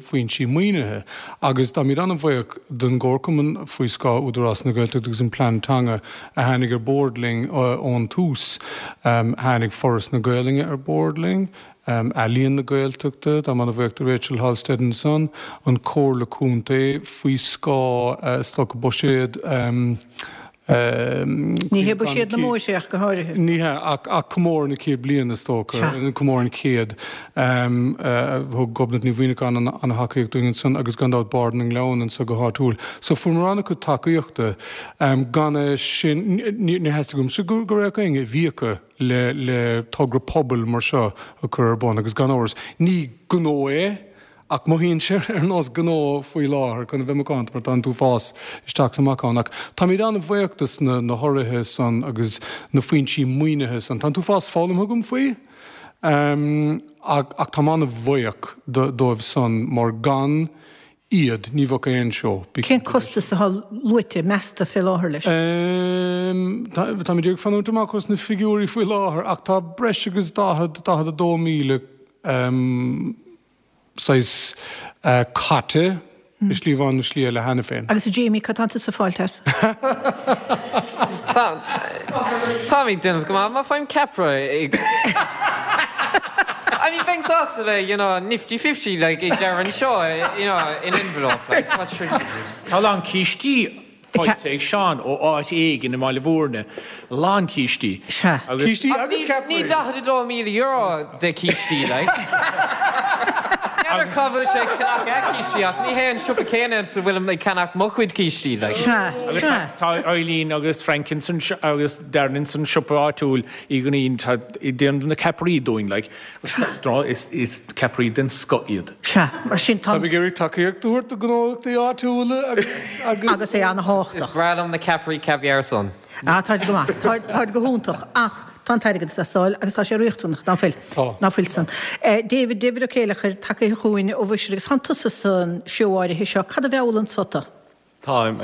foinsí maoinithe agus táimid an-bhuíoch don gComharchumann faoi scáth Údarás na Gaeltachta agus an Plean Teanga a tháinig ar bord linn ón tús. Tháinig Foras na Gaelainne ar bord linn, Ealaíon na Gaeltachta, táim an-bhuíoch do Rachel Halstead ansan, an Comhairle Contae faoi scáth is dócha buiséad Ní hé buiséad na mbó é ach go háirithe. Ní hea, ach comóradh na céad bliain, is dócha, comóradh an chéid. Thug Gobnait Ní Mhuimhneacháin an-thacaíocht dúinn ansan agus gan dabht Bard na nGleann anso go háitiúil. So fuaireamar an-chuid tacaíochta. Gan é sin, níor theastaigh uaimse go raibh éinne i bhfiacha le togra pobail mar seo a chur ar bun agus gan amhras, ní gnó é, Ach mothaíonn sé ar nós gnó faoi láthair, chun a bheith macánta, mar tá an t-uafás isteach is amach ann. Ach táimid an-bhuíoch dos na hurraithe san agus na foinsí maoinithe san. Tá an t-uafás foghlamtha agam faoi, ach táim an-bhuíoch dóibh san mar gan iad ní bheadh aon seó. Bí Cén cinnte de sin. costas atá luaite, measta, fé láthair leis? Táimid ag fanúint amach os na figiúirí faoi láthair ach tá breis agus 40, 42,000 saghas caite i slí amháin nó slí eile cheana féin. Agus a Jamie, cad tá tusa ag fáilt as? Táim ag déanamh go maith, má faighim ceapaire ag I mean. bheinn sásta le, you know, nifty 50 like i deireadh an seo, you know, in envelope like, what's ridiculous. Tá a lán cístí faighte ag Seán ó áit éigin i mBaile Bhúirne, a lán cístí. Sea. Cístí agus ceapairí. Ní €42,000 de cístí, like. N'fheadar cá bhfuil sé ag ceannach a cístí ach ní hé an siopa céanna ina bhfuilim ag ceannach mo chuid cístí, like. Sea, Agus sea. tá Eileen agus Frank ins an, agus Darren ins an siopa áitiúil i gCoinín, tá, déanann na ceapairí dúinn, like. Is, is ceapairí den scoth iad. Sea, mar sin tá. Táim ag iarraidh tacaíocht a thabhairt do ghnólachtaí áitiúla agus, agus. Agus é ana-thábhachtach. Is breá liom na ceapairí caviar san. Ah, táid go maith. Táid, táid go hiontach. Ach tá an t-airgead ag teastáil agus tá sé riachtanach, ná fuil? Tá. Ná fuil san. David, David Ó Céileachair, tagaithe chugainn ó Mhuisire agus tánn tusa san seó áirithe seo. Cad a mheallann tú? Táim.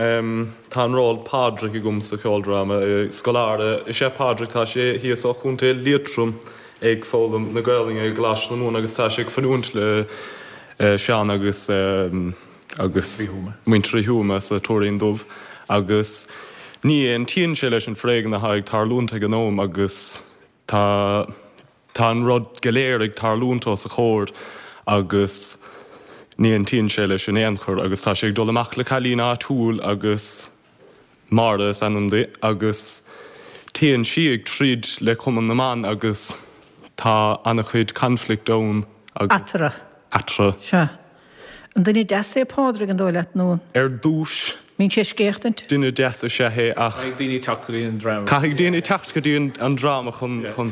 Tá an ról Pádraig agam sa cheoldráma. Scoláire is ea Pádraig, tá sé thíos ó Chontae Liatroim ag foghlaim na Gaolainne i gColáiste na Mumhan agus tá sé ag fanúint le Seán agus agus muintir Uí Thuama sa Tuairín Dubh agus ní aontaíonn sé leis an foréigean atá ag tarlúint ag an am agus tá Tá an rud go léir ag tarlúint os a chomhair agus ní aontaíonn sé leis in aon chor agus tá sé ag dul amach le cailín áitiúil agus Máire is ainm di agus téann sí ag troid le Cumann na mBan agus tá ana-chuid conflict ann agus. Eatarthu. Eatarthu. Sea. An duine deas é Pádraig, an dóigh leat, nó an. Ar dtús. Mbíonn sé ag scéachtaint? Duine deas is ea é ach. Caithfidh daoine teacht go dtí an dráma. Caithfidh daoine teacht go dtí an dráma chun. Chun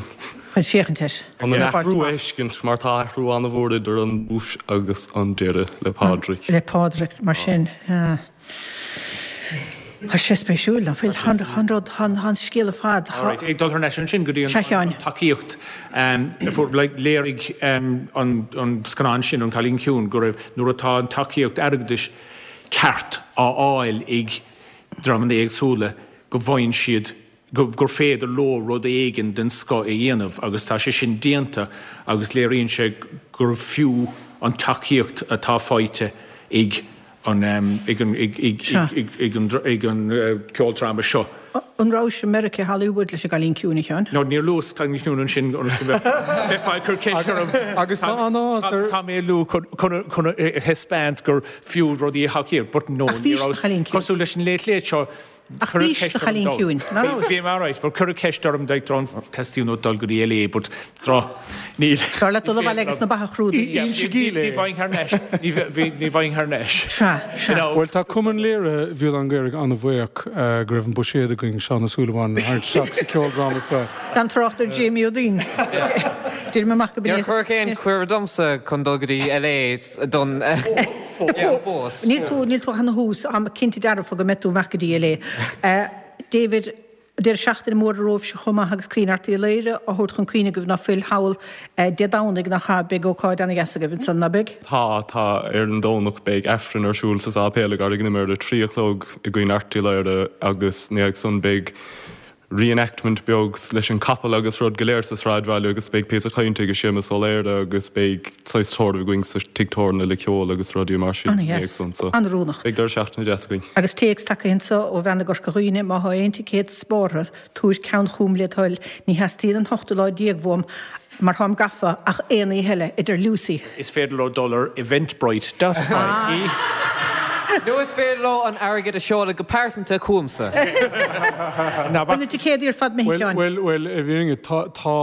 féachaint air. Chun an athrú a fheiscint mar tá athrú an-mhór idir an tús agus an deireadh le Pádraig. Le Pádraig, mar sin. Tá sé spéisiúil, nach bhfuil? Tá an rud, tá an scéal ar fad. Alright, ag dul thar n-ais ansin go dtí an tacaíocht a fuair, like, léirigh an scannán sin, An Cailín Ciúin, go raibh, nuair atá an tacaíocht airgeadais ceart á fháil ag dreamanna éagsúla, go bhfaigheann siad gur féidir leo rud éigin den scoth a dhéanamh agus tá sé sin déanta agus léiríonn sé gur fiú an tacaíocht atá faighte ag an ag an ag an ag an ceoldráma seo. An rabhais i Meiriceá, Hollywood leis an gCailín Ciúin, a Sheáin? No, níor luas Cailín Ciúin ansin ionas go mbeifeá ag cur ceist orm. Agus tá an-áthas ar. Tá mé ag lua chun a thaispeáint gur fiú rudaí a thacaíocht but no, Ach ní bhís sa rabhas. Chailín Ciúin. Cosúil leis an Late Late Show, Ach bhís sa Chailín Ciúin, ná raibh? Bhí mé alright, but cuireadh ceist orm like dá dteastaíonn uait dul go dtí LA but dra, níl. Dar leat dul abhaile agus na beatha a chrúdú. Ní bheinn thar n-ais, ní bheinn thar n-ais. Sea, sea. Bhuel tá Cumann Léirithe Bhéal Átha an Ghaorthaidh an-bhuíoch go raibh an buiséad againn Seán Ó Súilleabháin a tharraingt isteach sa cheoldráma seo. Gan trácht ar Jamie Ó Duinn. Deirim amach go binn Níor cuireadh aon cuireadh domsa chun dul go dtí LA don. Fós. Níl tú, níl tú cheana thuas, táim cinnte dearfa go mbeidh tú amach go dtí LA. David, deireadh seachtaine mór romhaibhse chomh maith agus Caoineadh Airt Uí Laoghaire á thabhairt chun cuimhne agaibh ná fuil thall Dé Domhnaigh nach ea, beidh ócáid ana-dheas agaibh ansan, ná beidh? Tá, tá. Ar an Domhnach beidh Aifreann ar siúl sa sáipéal i gCarraig an Iomaire ar a 3 a chlog i gCaoineadh Airt Uí Laoghaire agus ina dhiaidh san beidh re-enactment beag leis an capall agus rud go léir sa sráidbhaile agus beidh píosa cainte ag Séamus Ó Laoire agus beidh saghas tórramh againn sa tigh tábhairne le ceol agus rudaí mar sin Ana-dheas. éagsúil so An-oiriúnach. beidh deireadh seachtaine deas againn. Agus téacs tagtha anso ó bhean i gCorca Dhuibhne, má thá aon ticéad spártha, tabhair ceann chugam led thoil, ní theastaíonn an t-ochtú lá déag uaim mar táim gafa ach aon oíche eile, a deir Lucy. Is féidir leo dul ar eventbrite dot ie. Nó is féidir leo an airgead a seoladh go pearsanta chugamsa. Bhfuil na ticéadaí ar fad imithe, a Sheáin? Bhuel, bhuel, i bhfírinne, tá, tá,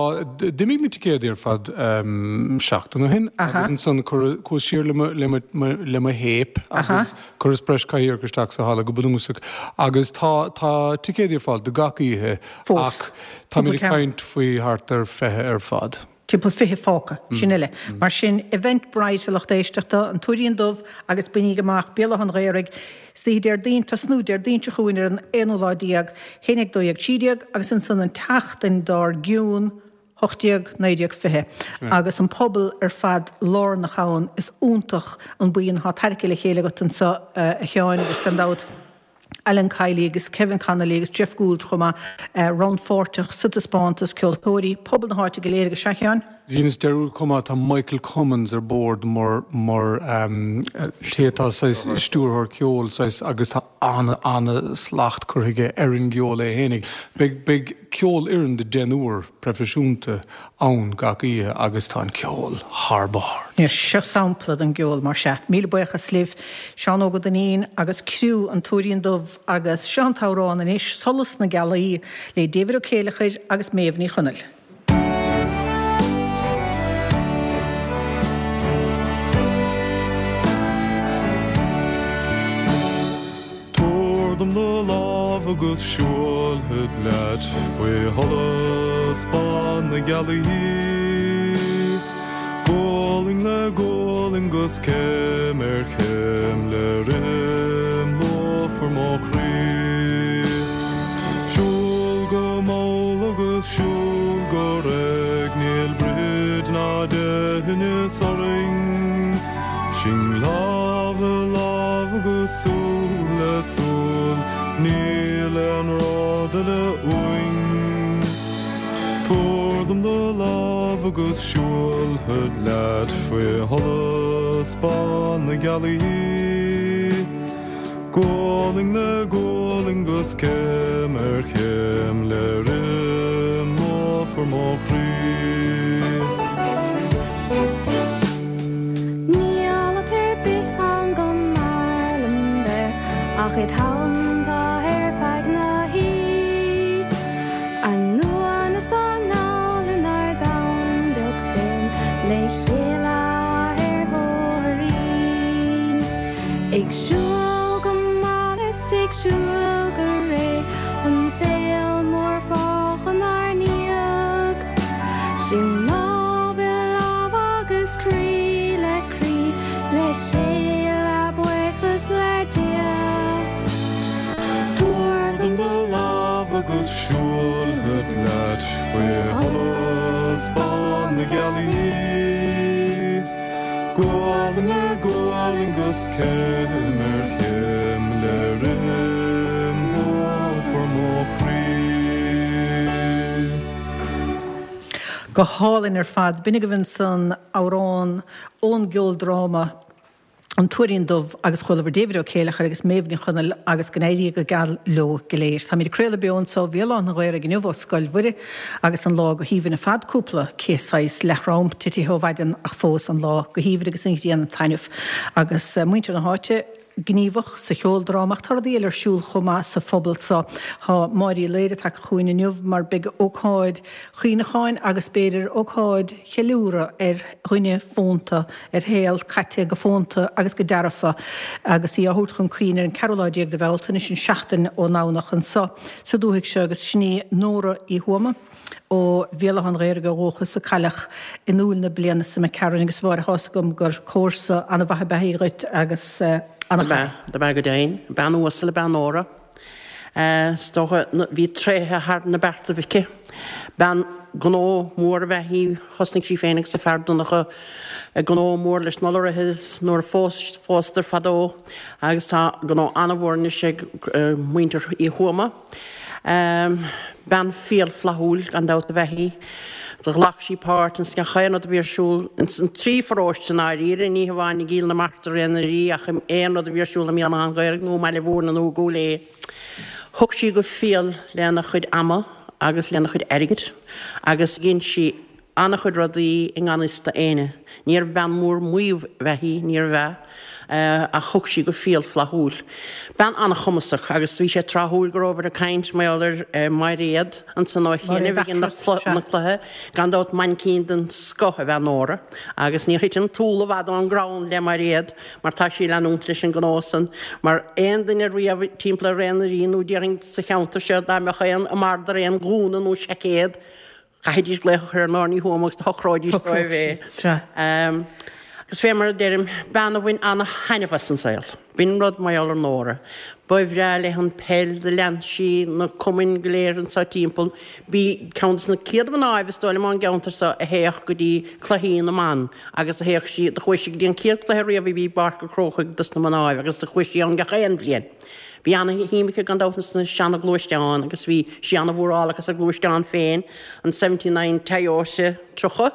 d'imigh na ticéadaí ar fad seachtain ó shin agus ansan cuireadh, chuas siar le mo, le mo, le mo théip agus chuireas breis cathaoireach isteach sa halla go bunúsach agus tá, tá ticéadaí ar fáil do gach oíche Fós. ach táimid ag caint faoi thart ar 20 ar fad. Timpeall 20 fágtha, sin uile. Mar sin, Eventbrite a lucht éisteachta, An Tuairín Dubh agus bainigí amach Béal Átha an Ghaorthaidh, istoíche Déardaoin, tosnú Déardaoin seo chugainn ar an aonú lá déag, 11, 12, 13 agus ansan an tseachtain dár gcionn, 18, 19, 20. Agus an pobal ar fad lárnach ann, is iontach an buíon atá tarraicthe le chéile agat anso a Sheáin agus gan dabht, Alan Kiely agus Kevin Connolly agus Jeff Gould chomh maith, rannpháirteach sa taispeántas, ceoltóirí, pobal na háite go léir agus sea a Sheáin? Dheineas dearúd chomh maith, tá Michael Cummins ar bord mar mar té atá saghas stiúrthóir ceoil saghas agus tá an-an-slacht curtha aige ar an gceol é fhéinig. Beidh beidh ceolfhoireann de deichniúr proifisiúnta ann gach oíche agus tá an ceol thar barr. Seo sampla den gceol mar sea. Míle buíochas libh, Seán Óg Ó Duinnín agus criú An Tuairín Dubh agus seo an t-amhrán anois, Solas na Gealaí le David Ó Céileachair agus Méabh Ní Chonaill. Tabhair dom do lámh agus siúlfad leat faoi sholas bán na gealaí. Gualainn le gualainn 'gus céim ar chéim le rithim lúfar mo chroí. Siúl go mall agus siúl go réidh, níl brid ná deighneas orainn. Sinn lámh i lámh agus súil le súil, níl aon rud eile uainn. Tabhair dom do lámh agus siúlfad leat faoi sholas bán na gealaí. Gualainn le gualainn 'gus céim ar chéim le rithim lúfar mo chroí. Níl áit ar bith ann go mb'fhearr liom bheith ach id theannta ar feadh na hoíche. Anonn is anall inár domhan beag féin le chéile ar bhóithrín. Ag siúl go mall is ag siúl go réidh, an saol mór fágtha inár ndiaidh. Sinn lámh i lámh agus croí le croí, le chéile buíochas le Dia. Tabhair dom do lámh agus siúlfad leat faoi sholas bán na gealaí. Gualainn le gualainn 'gus céim ar chéim le rithim lúfar mo chroí. Go hálainn ar fad. B'in agaibh ansan amhrán ón gceoldráma An Tuairín Dubh agus chualabhair David Ó Céileachair agus Méabh Ní Chonaill agus go n-éirí go geal leo go léir. Táimid ag craoladh beo anso ó Bhéal Átha an Ghaorthaidh inniu ó Scoil Mhuire agus an lá go haoibhinn ar fad, cúpla cith saghas leaththrom titithe ó mhaidin ach fós an lá go haoibhinn agus an ghrian ag taitneamh agus muintir na háite gníomhach sa cheoldráma ach tá rudaí eile ar siúl chomh maith sa phobal so. Tá Máire Uí Laoire tagtha chugainn inniu mar beidh ócáid chuimhneacháin agus b'fhéidir ócáid cheiliúradh ar dhuine fónta, ar shaol caite go fónta agus go dearfa agus í á thabhairt chun cuimhne ar an ceathrú lá déag de Bhealtaine, sin seachtain ón nDomhnach, anso sa dúthaigh seo agus sin í Nóra Uí Thuama ó Bhéal Átha an Ghaorthaidh ó dhúchas a cailleadh in Iúil na bliana seo imigh tharainn agus a Mháire tá's agam gur comharsa an-mhaith ab ea í dhuit agus an-chara. Dob ea go deimhin. Bean uasal ab ea Nóra. Is dócha, bhí tréithe thar na beartaibh aici. Bean gnó mór ab ea í. Thosnaigh sí féin agus a fear Donncha gnó mór leis na lorraithe nuair a phósadar fadó agus tá gnó an-mhór anois ag muintir Uí Thuama. Bean fial flaithiúil gan dabht ab ea í. Do ghlac sí páirt ins gach aon rud a bhí ar siúl ins an trí pharóiste i ndáiríre, ní hamháin i gCill na Martra Réidh na Rí ach in aon rud a bhí ar siúl i mBéal Átha an Ghaorthaidh nó i mBaile Mhúirne nó i gCúil Aodha. Thug sí go fial lena chuid ama agus lena chuid airgid agus dhein sí an-chuid rudaí i ngan fhios d'éinne. Níorbh bean mhór maímh ab ea í, níorbh ea, ach thug sí go fial flaithiúil. Bean an-chumasach agus bhí sé tráthúil go rabhabhair ag caint mar gheall ar Mhairéad ansan ó chianaibh ag an cluiche. Gan dabht mainicín den scoth ab ea Nóra agus níor thit an t-úll i bhfad ón gcrann le Mairéad mar tá sí ag leanúint leis an ngnó san mar aon duine riamh timpeall ar Réidh na Rí nó déarfainn sa cheantar seo dá mbeadh aon a mbarda ar aon ghúna nó seaicéad Chaithfidís glaoch a chur ar Nóra Ní Thuama agus do shocróidís dóibh é. Agus fé mar a deirim, bean a bhain ana-thaitneamh as an saol. B'in rud mar gheall ar Nóra. Ba bhreá léi an peil, do lean sí na cumainn go léir anso timpeall. B'í ceann de na céad mhnáibh, is dóigh liom, ón gceantar so a théadh go dtí cluichí na mban agus do théadh sí, do chuaigh sí go dtí an chéad chluiche riamh a bhí i bPáirc an Chrócaigh dos na mnáibh agus do chuaigh sí ann gach aon bhliain. Bhí ana-shuim aici gan dabht ins na seana-ghluaisteáin agus bhí sí ana-mhórálach as a gluaisteán féin, an 79 Toyota 30,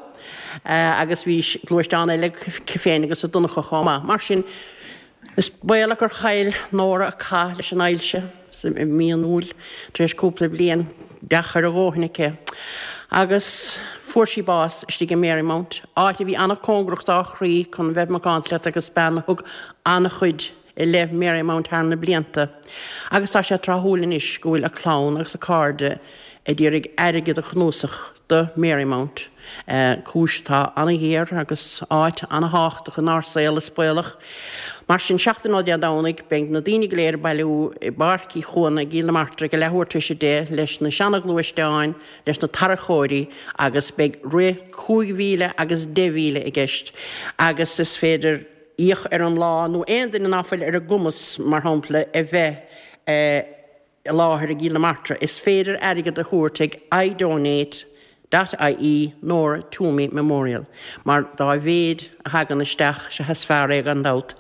agus bhí gluaisteán eile aici féin agus a Donncha chomh maith. Mar sin, is baolach gur chaill Nóra a cath leis an ailse i mí an Iúil tar éis cúpla bliain deacair a dhóthain aici agus fuair sí bás istigh i Marymount, áit a bhí ana-cóngarach dá chroí chun bheith macánta leat agus bean a thug ana-chuid i leith Marymount thar na blianta agus tá sé tráthúil anois go bhfuil a clann agus a cairde ag iarraidh airgead a chnuasach do Marymount, cúis atá an-ghéar agus áit an-thábhachtach inár saol is baolach. Mar sin, seachtain ó Dé Domhnaigh, beidh na daoine go léir ag bailiú i bPáirc Uí Chuana i gCill na Martra ag a leathuair tar éis 10 leis na seana-ghluaisteáin, leis na tarracóirí agus beidh rith 5,000 agus 10,000 i gceist agus is féidir íoc ar an lá, nó aon duine ná fuil ar a gcumas, mar shampla, a bheith i láthair i gCill na Martra, is féidir airgead a thabhairt ag idonate dot ie Nora Twomey Memorial, mar dá mhéid a thagann isteach, sea is fearr é gan dabht.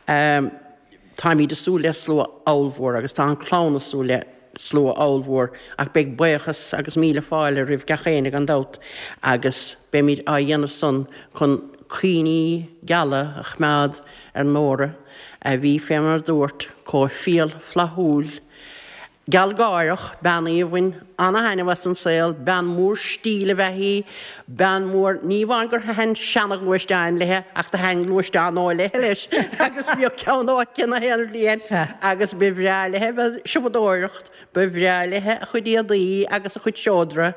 Táimid ag súil le slua ollmhór agus tá an clann ag súil le slua ollmhór ach beidh buíochas agus míle fáile roimh gach éinne gan dabht agus beimid á dhéanamh san chun cuimhní geala a choimeád ar Nóra a bhí, fé mar a dúrt, chomh fial flaithiúil, gealgháireach, bean í a bhain ana-thaitneamh as an saol, bean mhór stíl ab ea í, bean mhór, ní amháin gur thaitin seana-ghluaisteáin léithe ach do thaitin gluaisteáin nua léithe leis agus bhíodh ceann nua aici na haon bhliain agus ba bhreá léithe bheith ag siopadóireacht, ba bhreá léithe a chuid éadaí agus a chuid seodra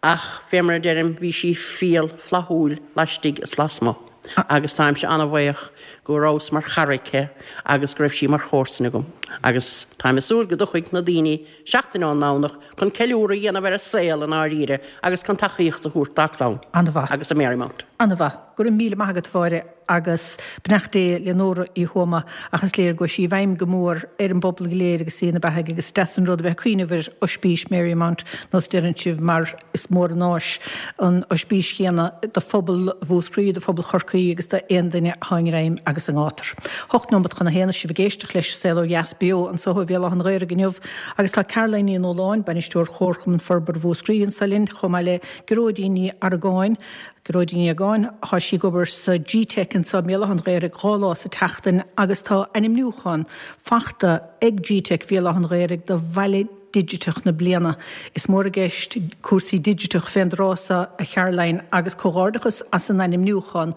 ach fé mar a deirim bhí sí fial flaithiúil laistigh is lasmuigh agus táimse ana-bhaoch go rabhas mar chara aici agus go raibh sí mar chomharsain agam agus táim ag súil go dtiocfaidh na daoine seachtain ón nDomhnach chun ceiliúradh a dhéanamh ar a saol i ndáiríre agus chun tacaíocht a thabhairt dá clann agus do Marymount. Ana-mhaith. Go raibh míle maith agat, a Mháire, agus beannacht Dé le Nóra Uí Thuama ach is léir go raibh sí i bhfeidhm go mór ar an bpobal go léir agus í ina beathaidh agus is deas an rud a bheith ag cuimhneamh ar Oispís Marymount nós deireann sibh mar is mór an áis an oispís chéanna do phobal Mhúscraí, do phobal Chorcaí agus d'aon duine atá i ngreim agus i ngátar. Hocht nóimeat chun a haon is sibh ag éisteacht leis Saol Ó Dheas beo anso ó Bhéal Átha an Ghaorthaidh inniu agus tá Caroline Ní Nualláin, Bainisteoir Chomharchumann Forbartha Mhúscraí anso linn chomh maith le Gearóidín Ní Argáin, Gearóidín Ní Argáin, Tá sí ag obair sa Gteic anso i mBéal Átha an Ghaorthaidh 2 lá sa tseachtain agus tá ainmniúchán fachta ag Gteic Bhéal Átha an Ghaorthaidh do Bhaile Digiteach na Bliana. Is mór i gceist cúrsaí digiteach fén dtráth so a Charoline agus comhghairdeachas as an ainmniúchán.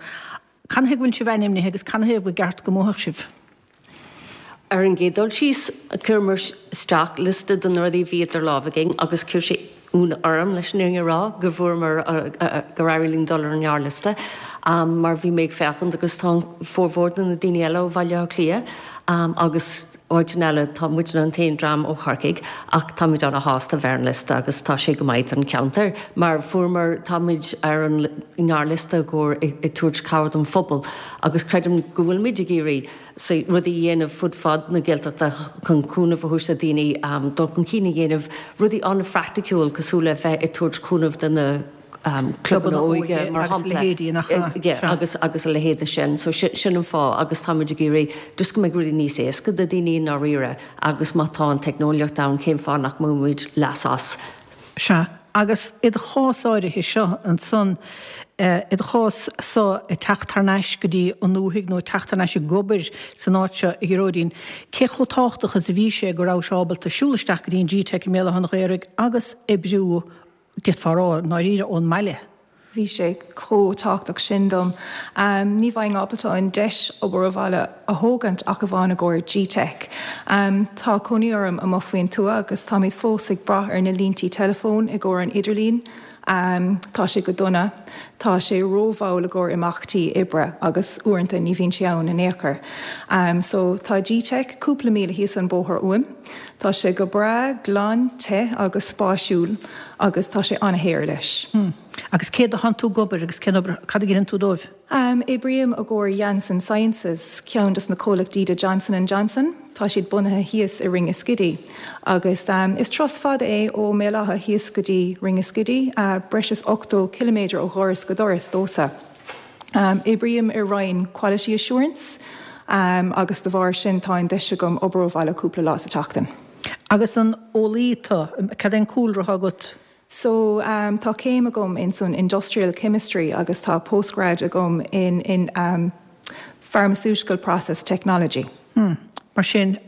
Canathaobh go bhfuil sibh ainmnithe agus canathaobh gur gceart go mbuafadh sibh? Ar an gcéad dul síos, chuireamar isteach liosta de na rudaí a bhí idir lámha againn agus chuir sé ionadh orm, leis an fhírinne a rá, go bhfuaireamar, gur éirigh linn dul ar an ngearrliosta mar bhí mé ag féachaint agus tá formhór de na daoine eile ó Bhaile Átha Cliath agus áiteanna eile, tá muidne an t-aon dream ó Chorcaigh ach táimid ana-shásta bheith ar an liosta agus tá sé go maith don cheantar mar fuaireamar, táimid ar an ngearrliosta i gcomhair ag tabhairt cabhair don phobal agus creidim go bhfuilimid ag iarraidh rudaí a dhéanamh fud fad na Gaeltachta chun cúnamh a thabhairt do dhaoine dul chun cinn a dhéanamh, rudaí an-phraiticiúil cosúil le bheith ag tabhairt cúnamh do na clubanna óige mar shampla. Agus agus a leithéide sin. So sin an fáth agus táimid ag iarraidh just go mbeidh rudaí níos éasca do dhaoine i ndáiríre agus má tá an teicneolaíocht ann cén fáth nach mbainfimid leas as. Sea, agus i do chás áirithe seo ansan, i do chás so ag teacht thar n-ais go dtí an ndúthaigh nó ag teacht thar n-ais ag obair san áit seo, a Ghearóidín, cé chomh tábhachtach is a bhí sé go rabhais ábalta siúl isteach go dtí an Gteic i mBéal Átha an Ghaorthaidh agus oibriú, d'fhéadfá a rá, i ndáiríre, ón mbaile? Bhí sé chomh tábhachtach sin dom. Ní bheinn ábalta an deis obair ó bhaile a thógaint ach amháin i gcomhair Gteic. Tá cónaí orm amuigh faoin tuath agus táimid fós ag brath ar na líntí teileafóin i gcomhair an idirlín. Tá sé go dona. Tá sé rómhall i gcomhair imeachtaí oibre agus uaireanta ní bhíonn sé ann in aon chor. So tá Gteic cúpla míle thíos an bóthar uaim. Tá sé go breá glan, te agus spáisiúil agus tá sé an-shaor leis. Agus cé dó thánn tú ag obair agus cén obair, cad a dheineann tú dóibh? Oibrím i gcomhair Janssen Sciences, ceann des na comhlachtaí de Johnson and Johnson. Tá siad bunaithe thíos i Ringaskiddy. Agus is turas fada é ó mBéal Átha thíos go dtí Ringaskiddy, breis is 80 ciliméadar ó dhoras go doras domhsa. Oibrím i roinn Quality Assurance. Agus de bharr sin tá an deis agam obair ó bhaile cúpla lá sa tseachtain. Agus an eolaí tú? Cad é an cúlra atá agat? So tá céim agam in san Industrial Chemistry agus tá postgrad agam in in Pharmaceutical Process Technology. Hmm. Mar sin,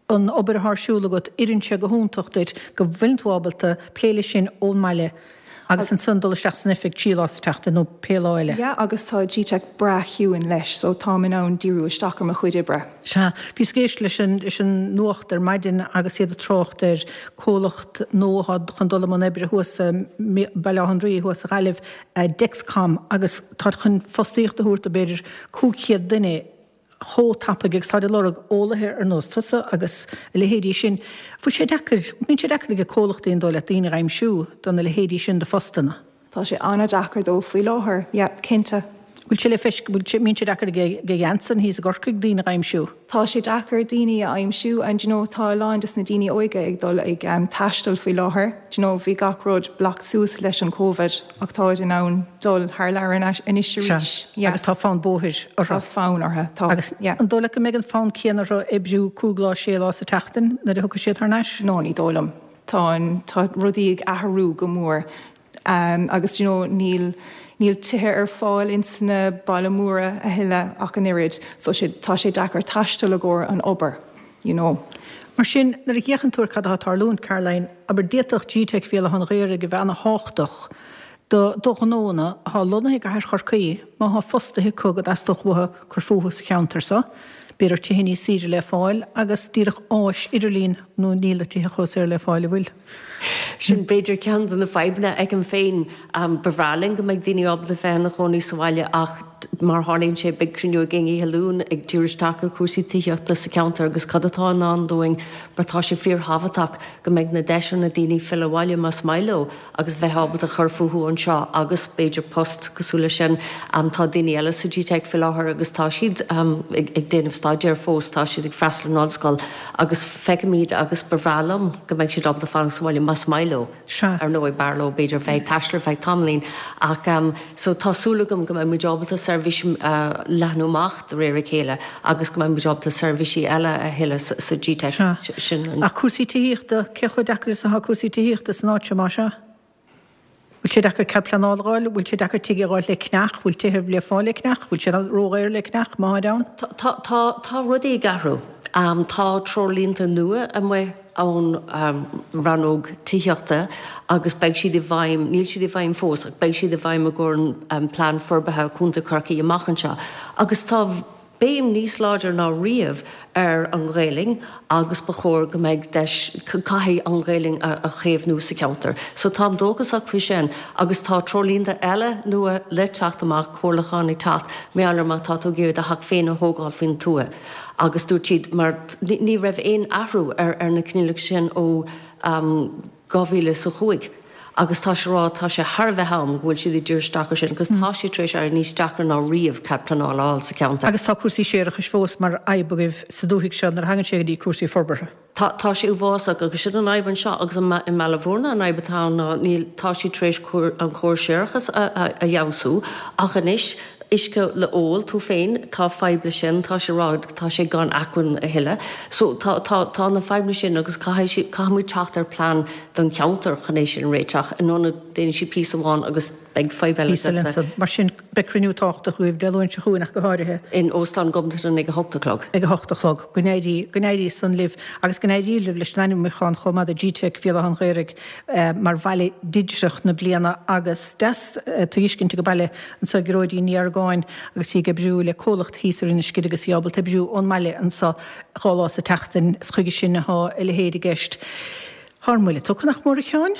an obair atá ar siúl agat, oireann sé go hiontach duit go bhfuileann tú ábalta plé leis sin ón mbaile agus ansan dul isteach san oifig 3 lá sa tseachtain nó pé lá eile. Yeah, agus tá GTeic breá ciúin leis, so táim in ann díriú isteach ar mo chuid oibre. Sea. Bhíos ag éisteacht leis an leis an nuacht ar maidin agus iad ag trácht ar comhlacht nua atá chun dul i mbun oibre thuas i mBaile Átha an Rí thuas sa Ghaillimh, Dexcom, agus táid chun fostaíocht a thabhairt do b'fhéidir 500 duine chomh tapaidh agus táid ag lorg eolaithe ar nós tusa agus a leithéidí sin. Bhfuil sé deacair, mbíonn sé deacair ag comhlachtaí an dóigh leat daoine a aimsiú do na leithéidí sin de phostanna? Tá sé an-deacair dóibh faoi láthair, yeah, cinnte. Bhfuil sé le feisc, bhfuil sé, mbíonn sé deacair ag Janssen thíos i gCorcaigh daoine a aimsiú? Tá sé deacair daoine a aimsiú and you know tá a lán des na daoine óige ag dul ag taisteal faoi láthair, do you know bhí gach rud blocked suas leis an Covid ach táid in ann dul thar lear anois arís, yeah. Agus tá fonn bóthair orthu. Tá fonn orthu, tá, Agus yeah. an dóigh leat go mbeidh an fonn céanna orthu oibriú cúig lá, sé lá sa tseachtain nuair a thiocfaidh siad thar n-ais? No, ní dóigh liom. Tá an, tá rudaí ag athrú go mór agus do you know níl, níl tithe ar fáil ins na baile móra a thuilleadh ach an oiread so sé, tá sé deacair taisteal i gcomhair an obair you know. Mar sin, nuair a fhéachann tú ar cad atá ag tarlúint, Caroline, abair, d'fhéadfadh GTeic Bhéal Átha an Ghaorthaidh a bheith ana-thábhachtach do do ghnónna atá lonnaithe i gcathair Chorcaí má thá fostaithe acu go dteastódh uathu cur fúthu sa cheantar so, b'fhéidir tithe níos saoire le fáil agus díreach áis idirlín nó níl na tithe chomh saor le fáil, an bhfuil? Sin b'fhéidir ceann de na fadhbanna a fheicim féin. Ba bhreá linn go mbeidh daoine ábalta bheith ina chónaí sa bhaile ach mar a tharlaíonn sé beidh cruinniú againn oíche Luain ag díriú isteach ar chúrsaí tithíochta sa cheantar agus cad atá i ndán dúinn mar tá sé fíorthábhachtach go mbeidh na deiseanna ag daoine filleadh abhaile más maith leo agus bheith ábalta chur fúthu anseo agus b'fhéidir post cosúil leis sin. Tá daoine eile sa GTeic faoi láthair agus tá siad ag déanamh staidéir fós, tá siad ag freastal ar an ollscoil agus feicim iad agus ba bhreá liom go mbeidh siad ábalta fanacht sa bhaile más maith leo. Ar ndóigh b'fhearr leo b'fhéidir bheith ag taisteal ar feadh tamaillín ach so tá súil agam go mbeidh muid ábalta seirbhís a leathnú amach de réir a chéile agus go mbeidh muid ábalta seirbhísí eile a thuilleadh sa GTeic sin. Ach cúrsaí tithíochta, cé chomh deacair is atá cúrsaí tithíochta san áit seo más ea? Bhfuil sé deacair cead pleanála a fháil? Bhfuil sé deacair tigh a fháil le ceannach? Bhfuil tithe le fáil le ceannach? Bhfuil siad ródhaor le ceannach, má tháid ann? Tá, tá, tá rudaí ag athrú. Tá treoirlínte nua amuigh ón rannóg tithíochta agus beidh siad i bhfeidhm, níl siad i bhfeidhm fós ach beidh siad i bhfeidhm i gcomhair an Plean Forbartha Chontae Chorcaí amach anseo agus tá béim níos láidre ná riamh ar an Ghaelainn agus ba chóir go mbeidh deis, caithfidh an Ghaelainn a chaomhnú sa cheantar. So táim dóchasach faoi sin agus tá treoirlínte eile nua le teacht amach, comhairliúchán ag teacht, mar gheall ar má tá tú ag iarraidh do theach féin a thógáil faoin tuath agus dúirt siad mar ní raibh aon athrú ar na coinníollacha sin ó 2005 agus tá sé ag rá tá sé thar a bheith am go bhfuil siad ag díriú isteach ar sin agus tá sé tar éis éirí níos deacra ná riamh cead pleanála a fháil sa cheantar. Agus tá cúrsaí séarachais fós mar fhadhb agaibh sa dúthaigh seo nuair a thagann sé go dtí cúrsaí forbartha. Tá, tá sé uafásach agus sin an fhadhb anseo agus i mBaile Bhúirne an fhadhb atá ann ná níl, tá siad tar éis an córas séarachais a fheabhsú ach anois uisce le ól, tú féin, tá fadhb le sin, tá sé ag rá, tá sé gan acmhainn a thuilleadh. So tá, tá, tá na fadhbanna sin agus caithfidh siad, caithfidh muid teacht ar plean don cheantar chun é sin a réiteach, in ionad déanfaidh siad píosa amháin agus beidh fadhb eile Píosa eile ansan. Mar sin, beidh cruinniú tábhachtach agaibh Dé Luain seo chugainn ach go háirithe. In Óstán Ghobnatan ag a hocht a chlog. Ag a hocht a chlog. Go n-éirí, go n-éirí san libh agus go n-éirí libh leis an ainmniúchán chomh maith do GTeic Bhéal Átha an Ghaorthaidh mar Bhaile Digiteach na Bliana agus deas tuiscint go baile anseo Gearóidín Ní Argáin agus í ag oibriú le comhlacht thíos ar Inis Oirr agus í ábalta oibriú ón mbaile anseo 2 lá sa tseachtain. Is chuige sin atá a leithéid i gceist. Tá ár mbuille tugtha nach mór a Sheáin?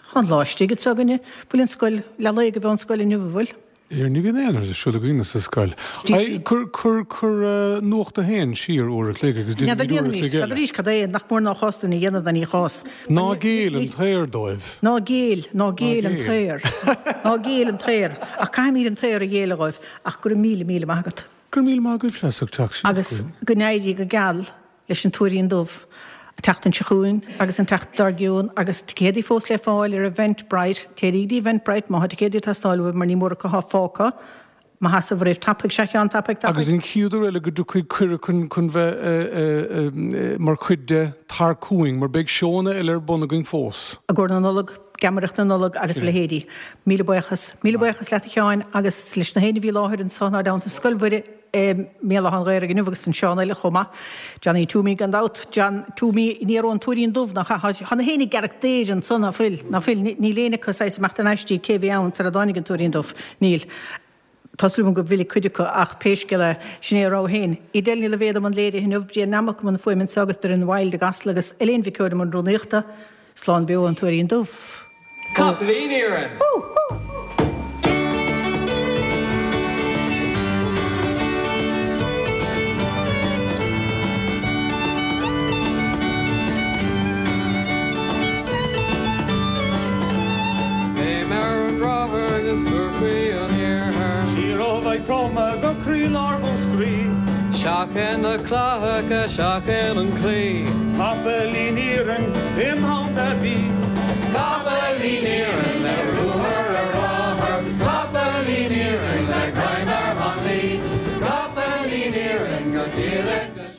Tá an lá istigh anseo againne. Bhfuil an scoil, leath lae go bheith an scoil inniu, an bhfuil? Ar ní bhíonn aon rud ar siúl againne sa scoil. Cuir, cuir, cuir Nuacht a hAon siar uair a chloig agus déanfaimid uair a chloig eile. N'fheadar arís cad é, nach mór ná chás dúinn a dhéanamh ná ní chás. Ná géill an t-aer dóibh. Ná géill, ná géill an t-aer. Ná géill an t-aer. Ach caithfimid an t-aer a ghéilleadh dhóibh. Ach go raibh míle, míle maith agat. Go raibh míle maith agaibhse as ucht teacht síos Agus go n-éirí go geal leis an Tuairín Dubh an tseachtain seo chugainn agus an tseachtain dár gcionn agus ticéadaí fós le fáil ar Eventbrite. Téirí go dtí Eventbrite má tá ticéadaí ag teastáil uaibh mar ní mór acu atá fágtha. Mo sheasamh oraibh tapaidh, sea a Sheáin, tapaidh, tapaidh. Agus an chéad uair eile go dtiocfaidh cuireadh chun chun bheith mar chuid de, tar chugainn, mar beidh seónna eile ar bun againn fós. I gcomhair na Nollag, geamaireacht na Nollag agus a leithéidí. Míle buíochas. Míle buíochas leat a Sheáin agus leis na héinne a bhí i láthair anso inár dteannta i Scoil Mhuire i mBéal Átha an Ghaorthaidh inniu agus an Seán eile chomh maith. Johnny Twomey gan dabht. John Twomey in iarr ón Tuairín Dubh nach ea? Tá na héinne ag gearradh daor anso ná fuil? Ná fuil? Níl éinne acu saghas ag imeacht in aistí cé bhí ann sar a dtáinig an Tuairín Dubh. Níl. Tá súil agam go bhfillfidh cuid acu ach pé scéal é, sin é a rogha féin. Edel Ní Loibhéad i mbun léirithe inniu, Brian Nammock i mbun fuaime anseo agus Doireann Wilde i gCasla agus Elaine Mhic Eoin i mbun rúnaíochta. Slán beo ón Tuairín Dubh. Capaillín Iarainn! Hú! Hú! Léim ar an rothair go Surfaí an Iarthair. Siar ó Mhaigh Chromtha go croílár Mhúscraí. Seachain na clathacha, seachain an claí. Capaillín iarainn im theannta bí. Capaillín iarainn le ruathar ar rothar, Capaillín iarainn le greim ar mhanlaí, Capaillín iarainn go diallacht.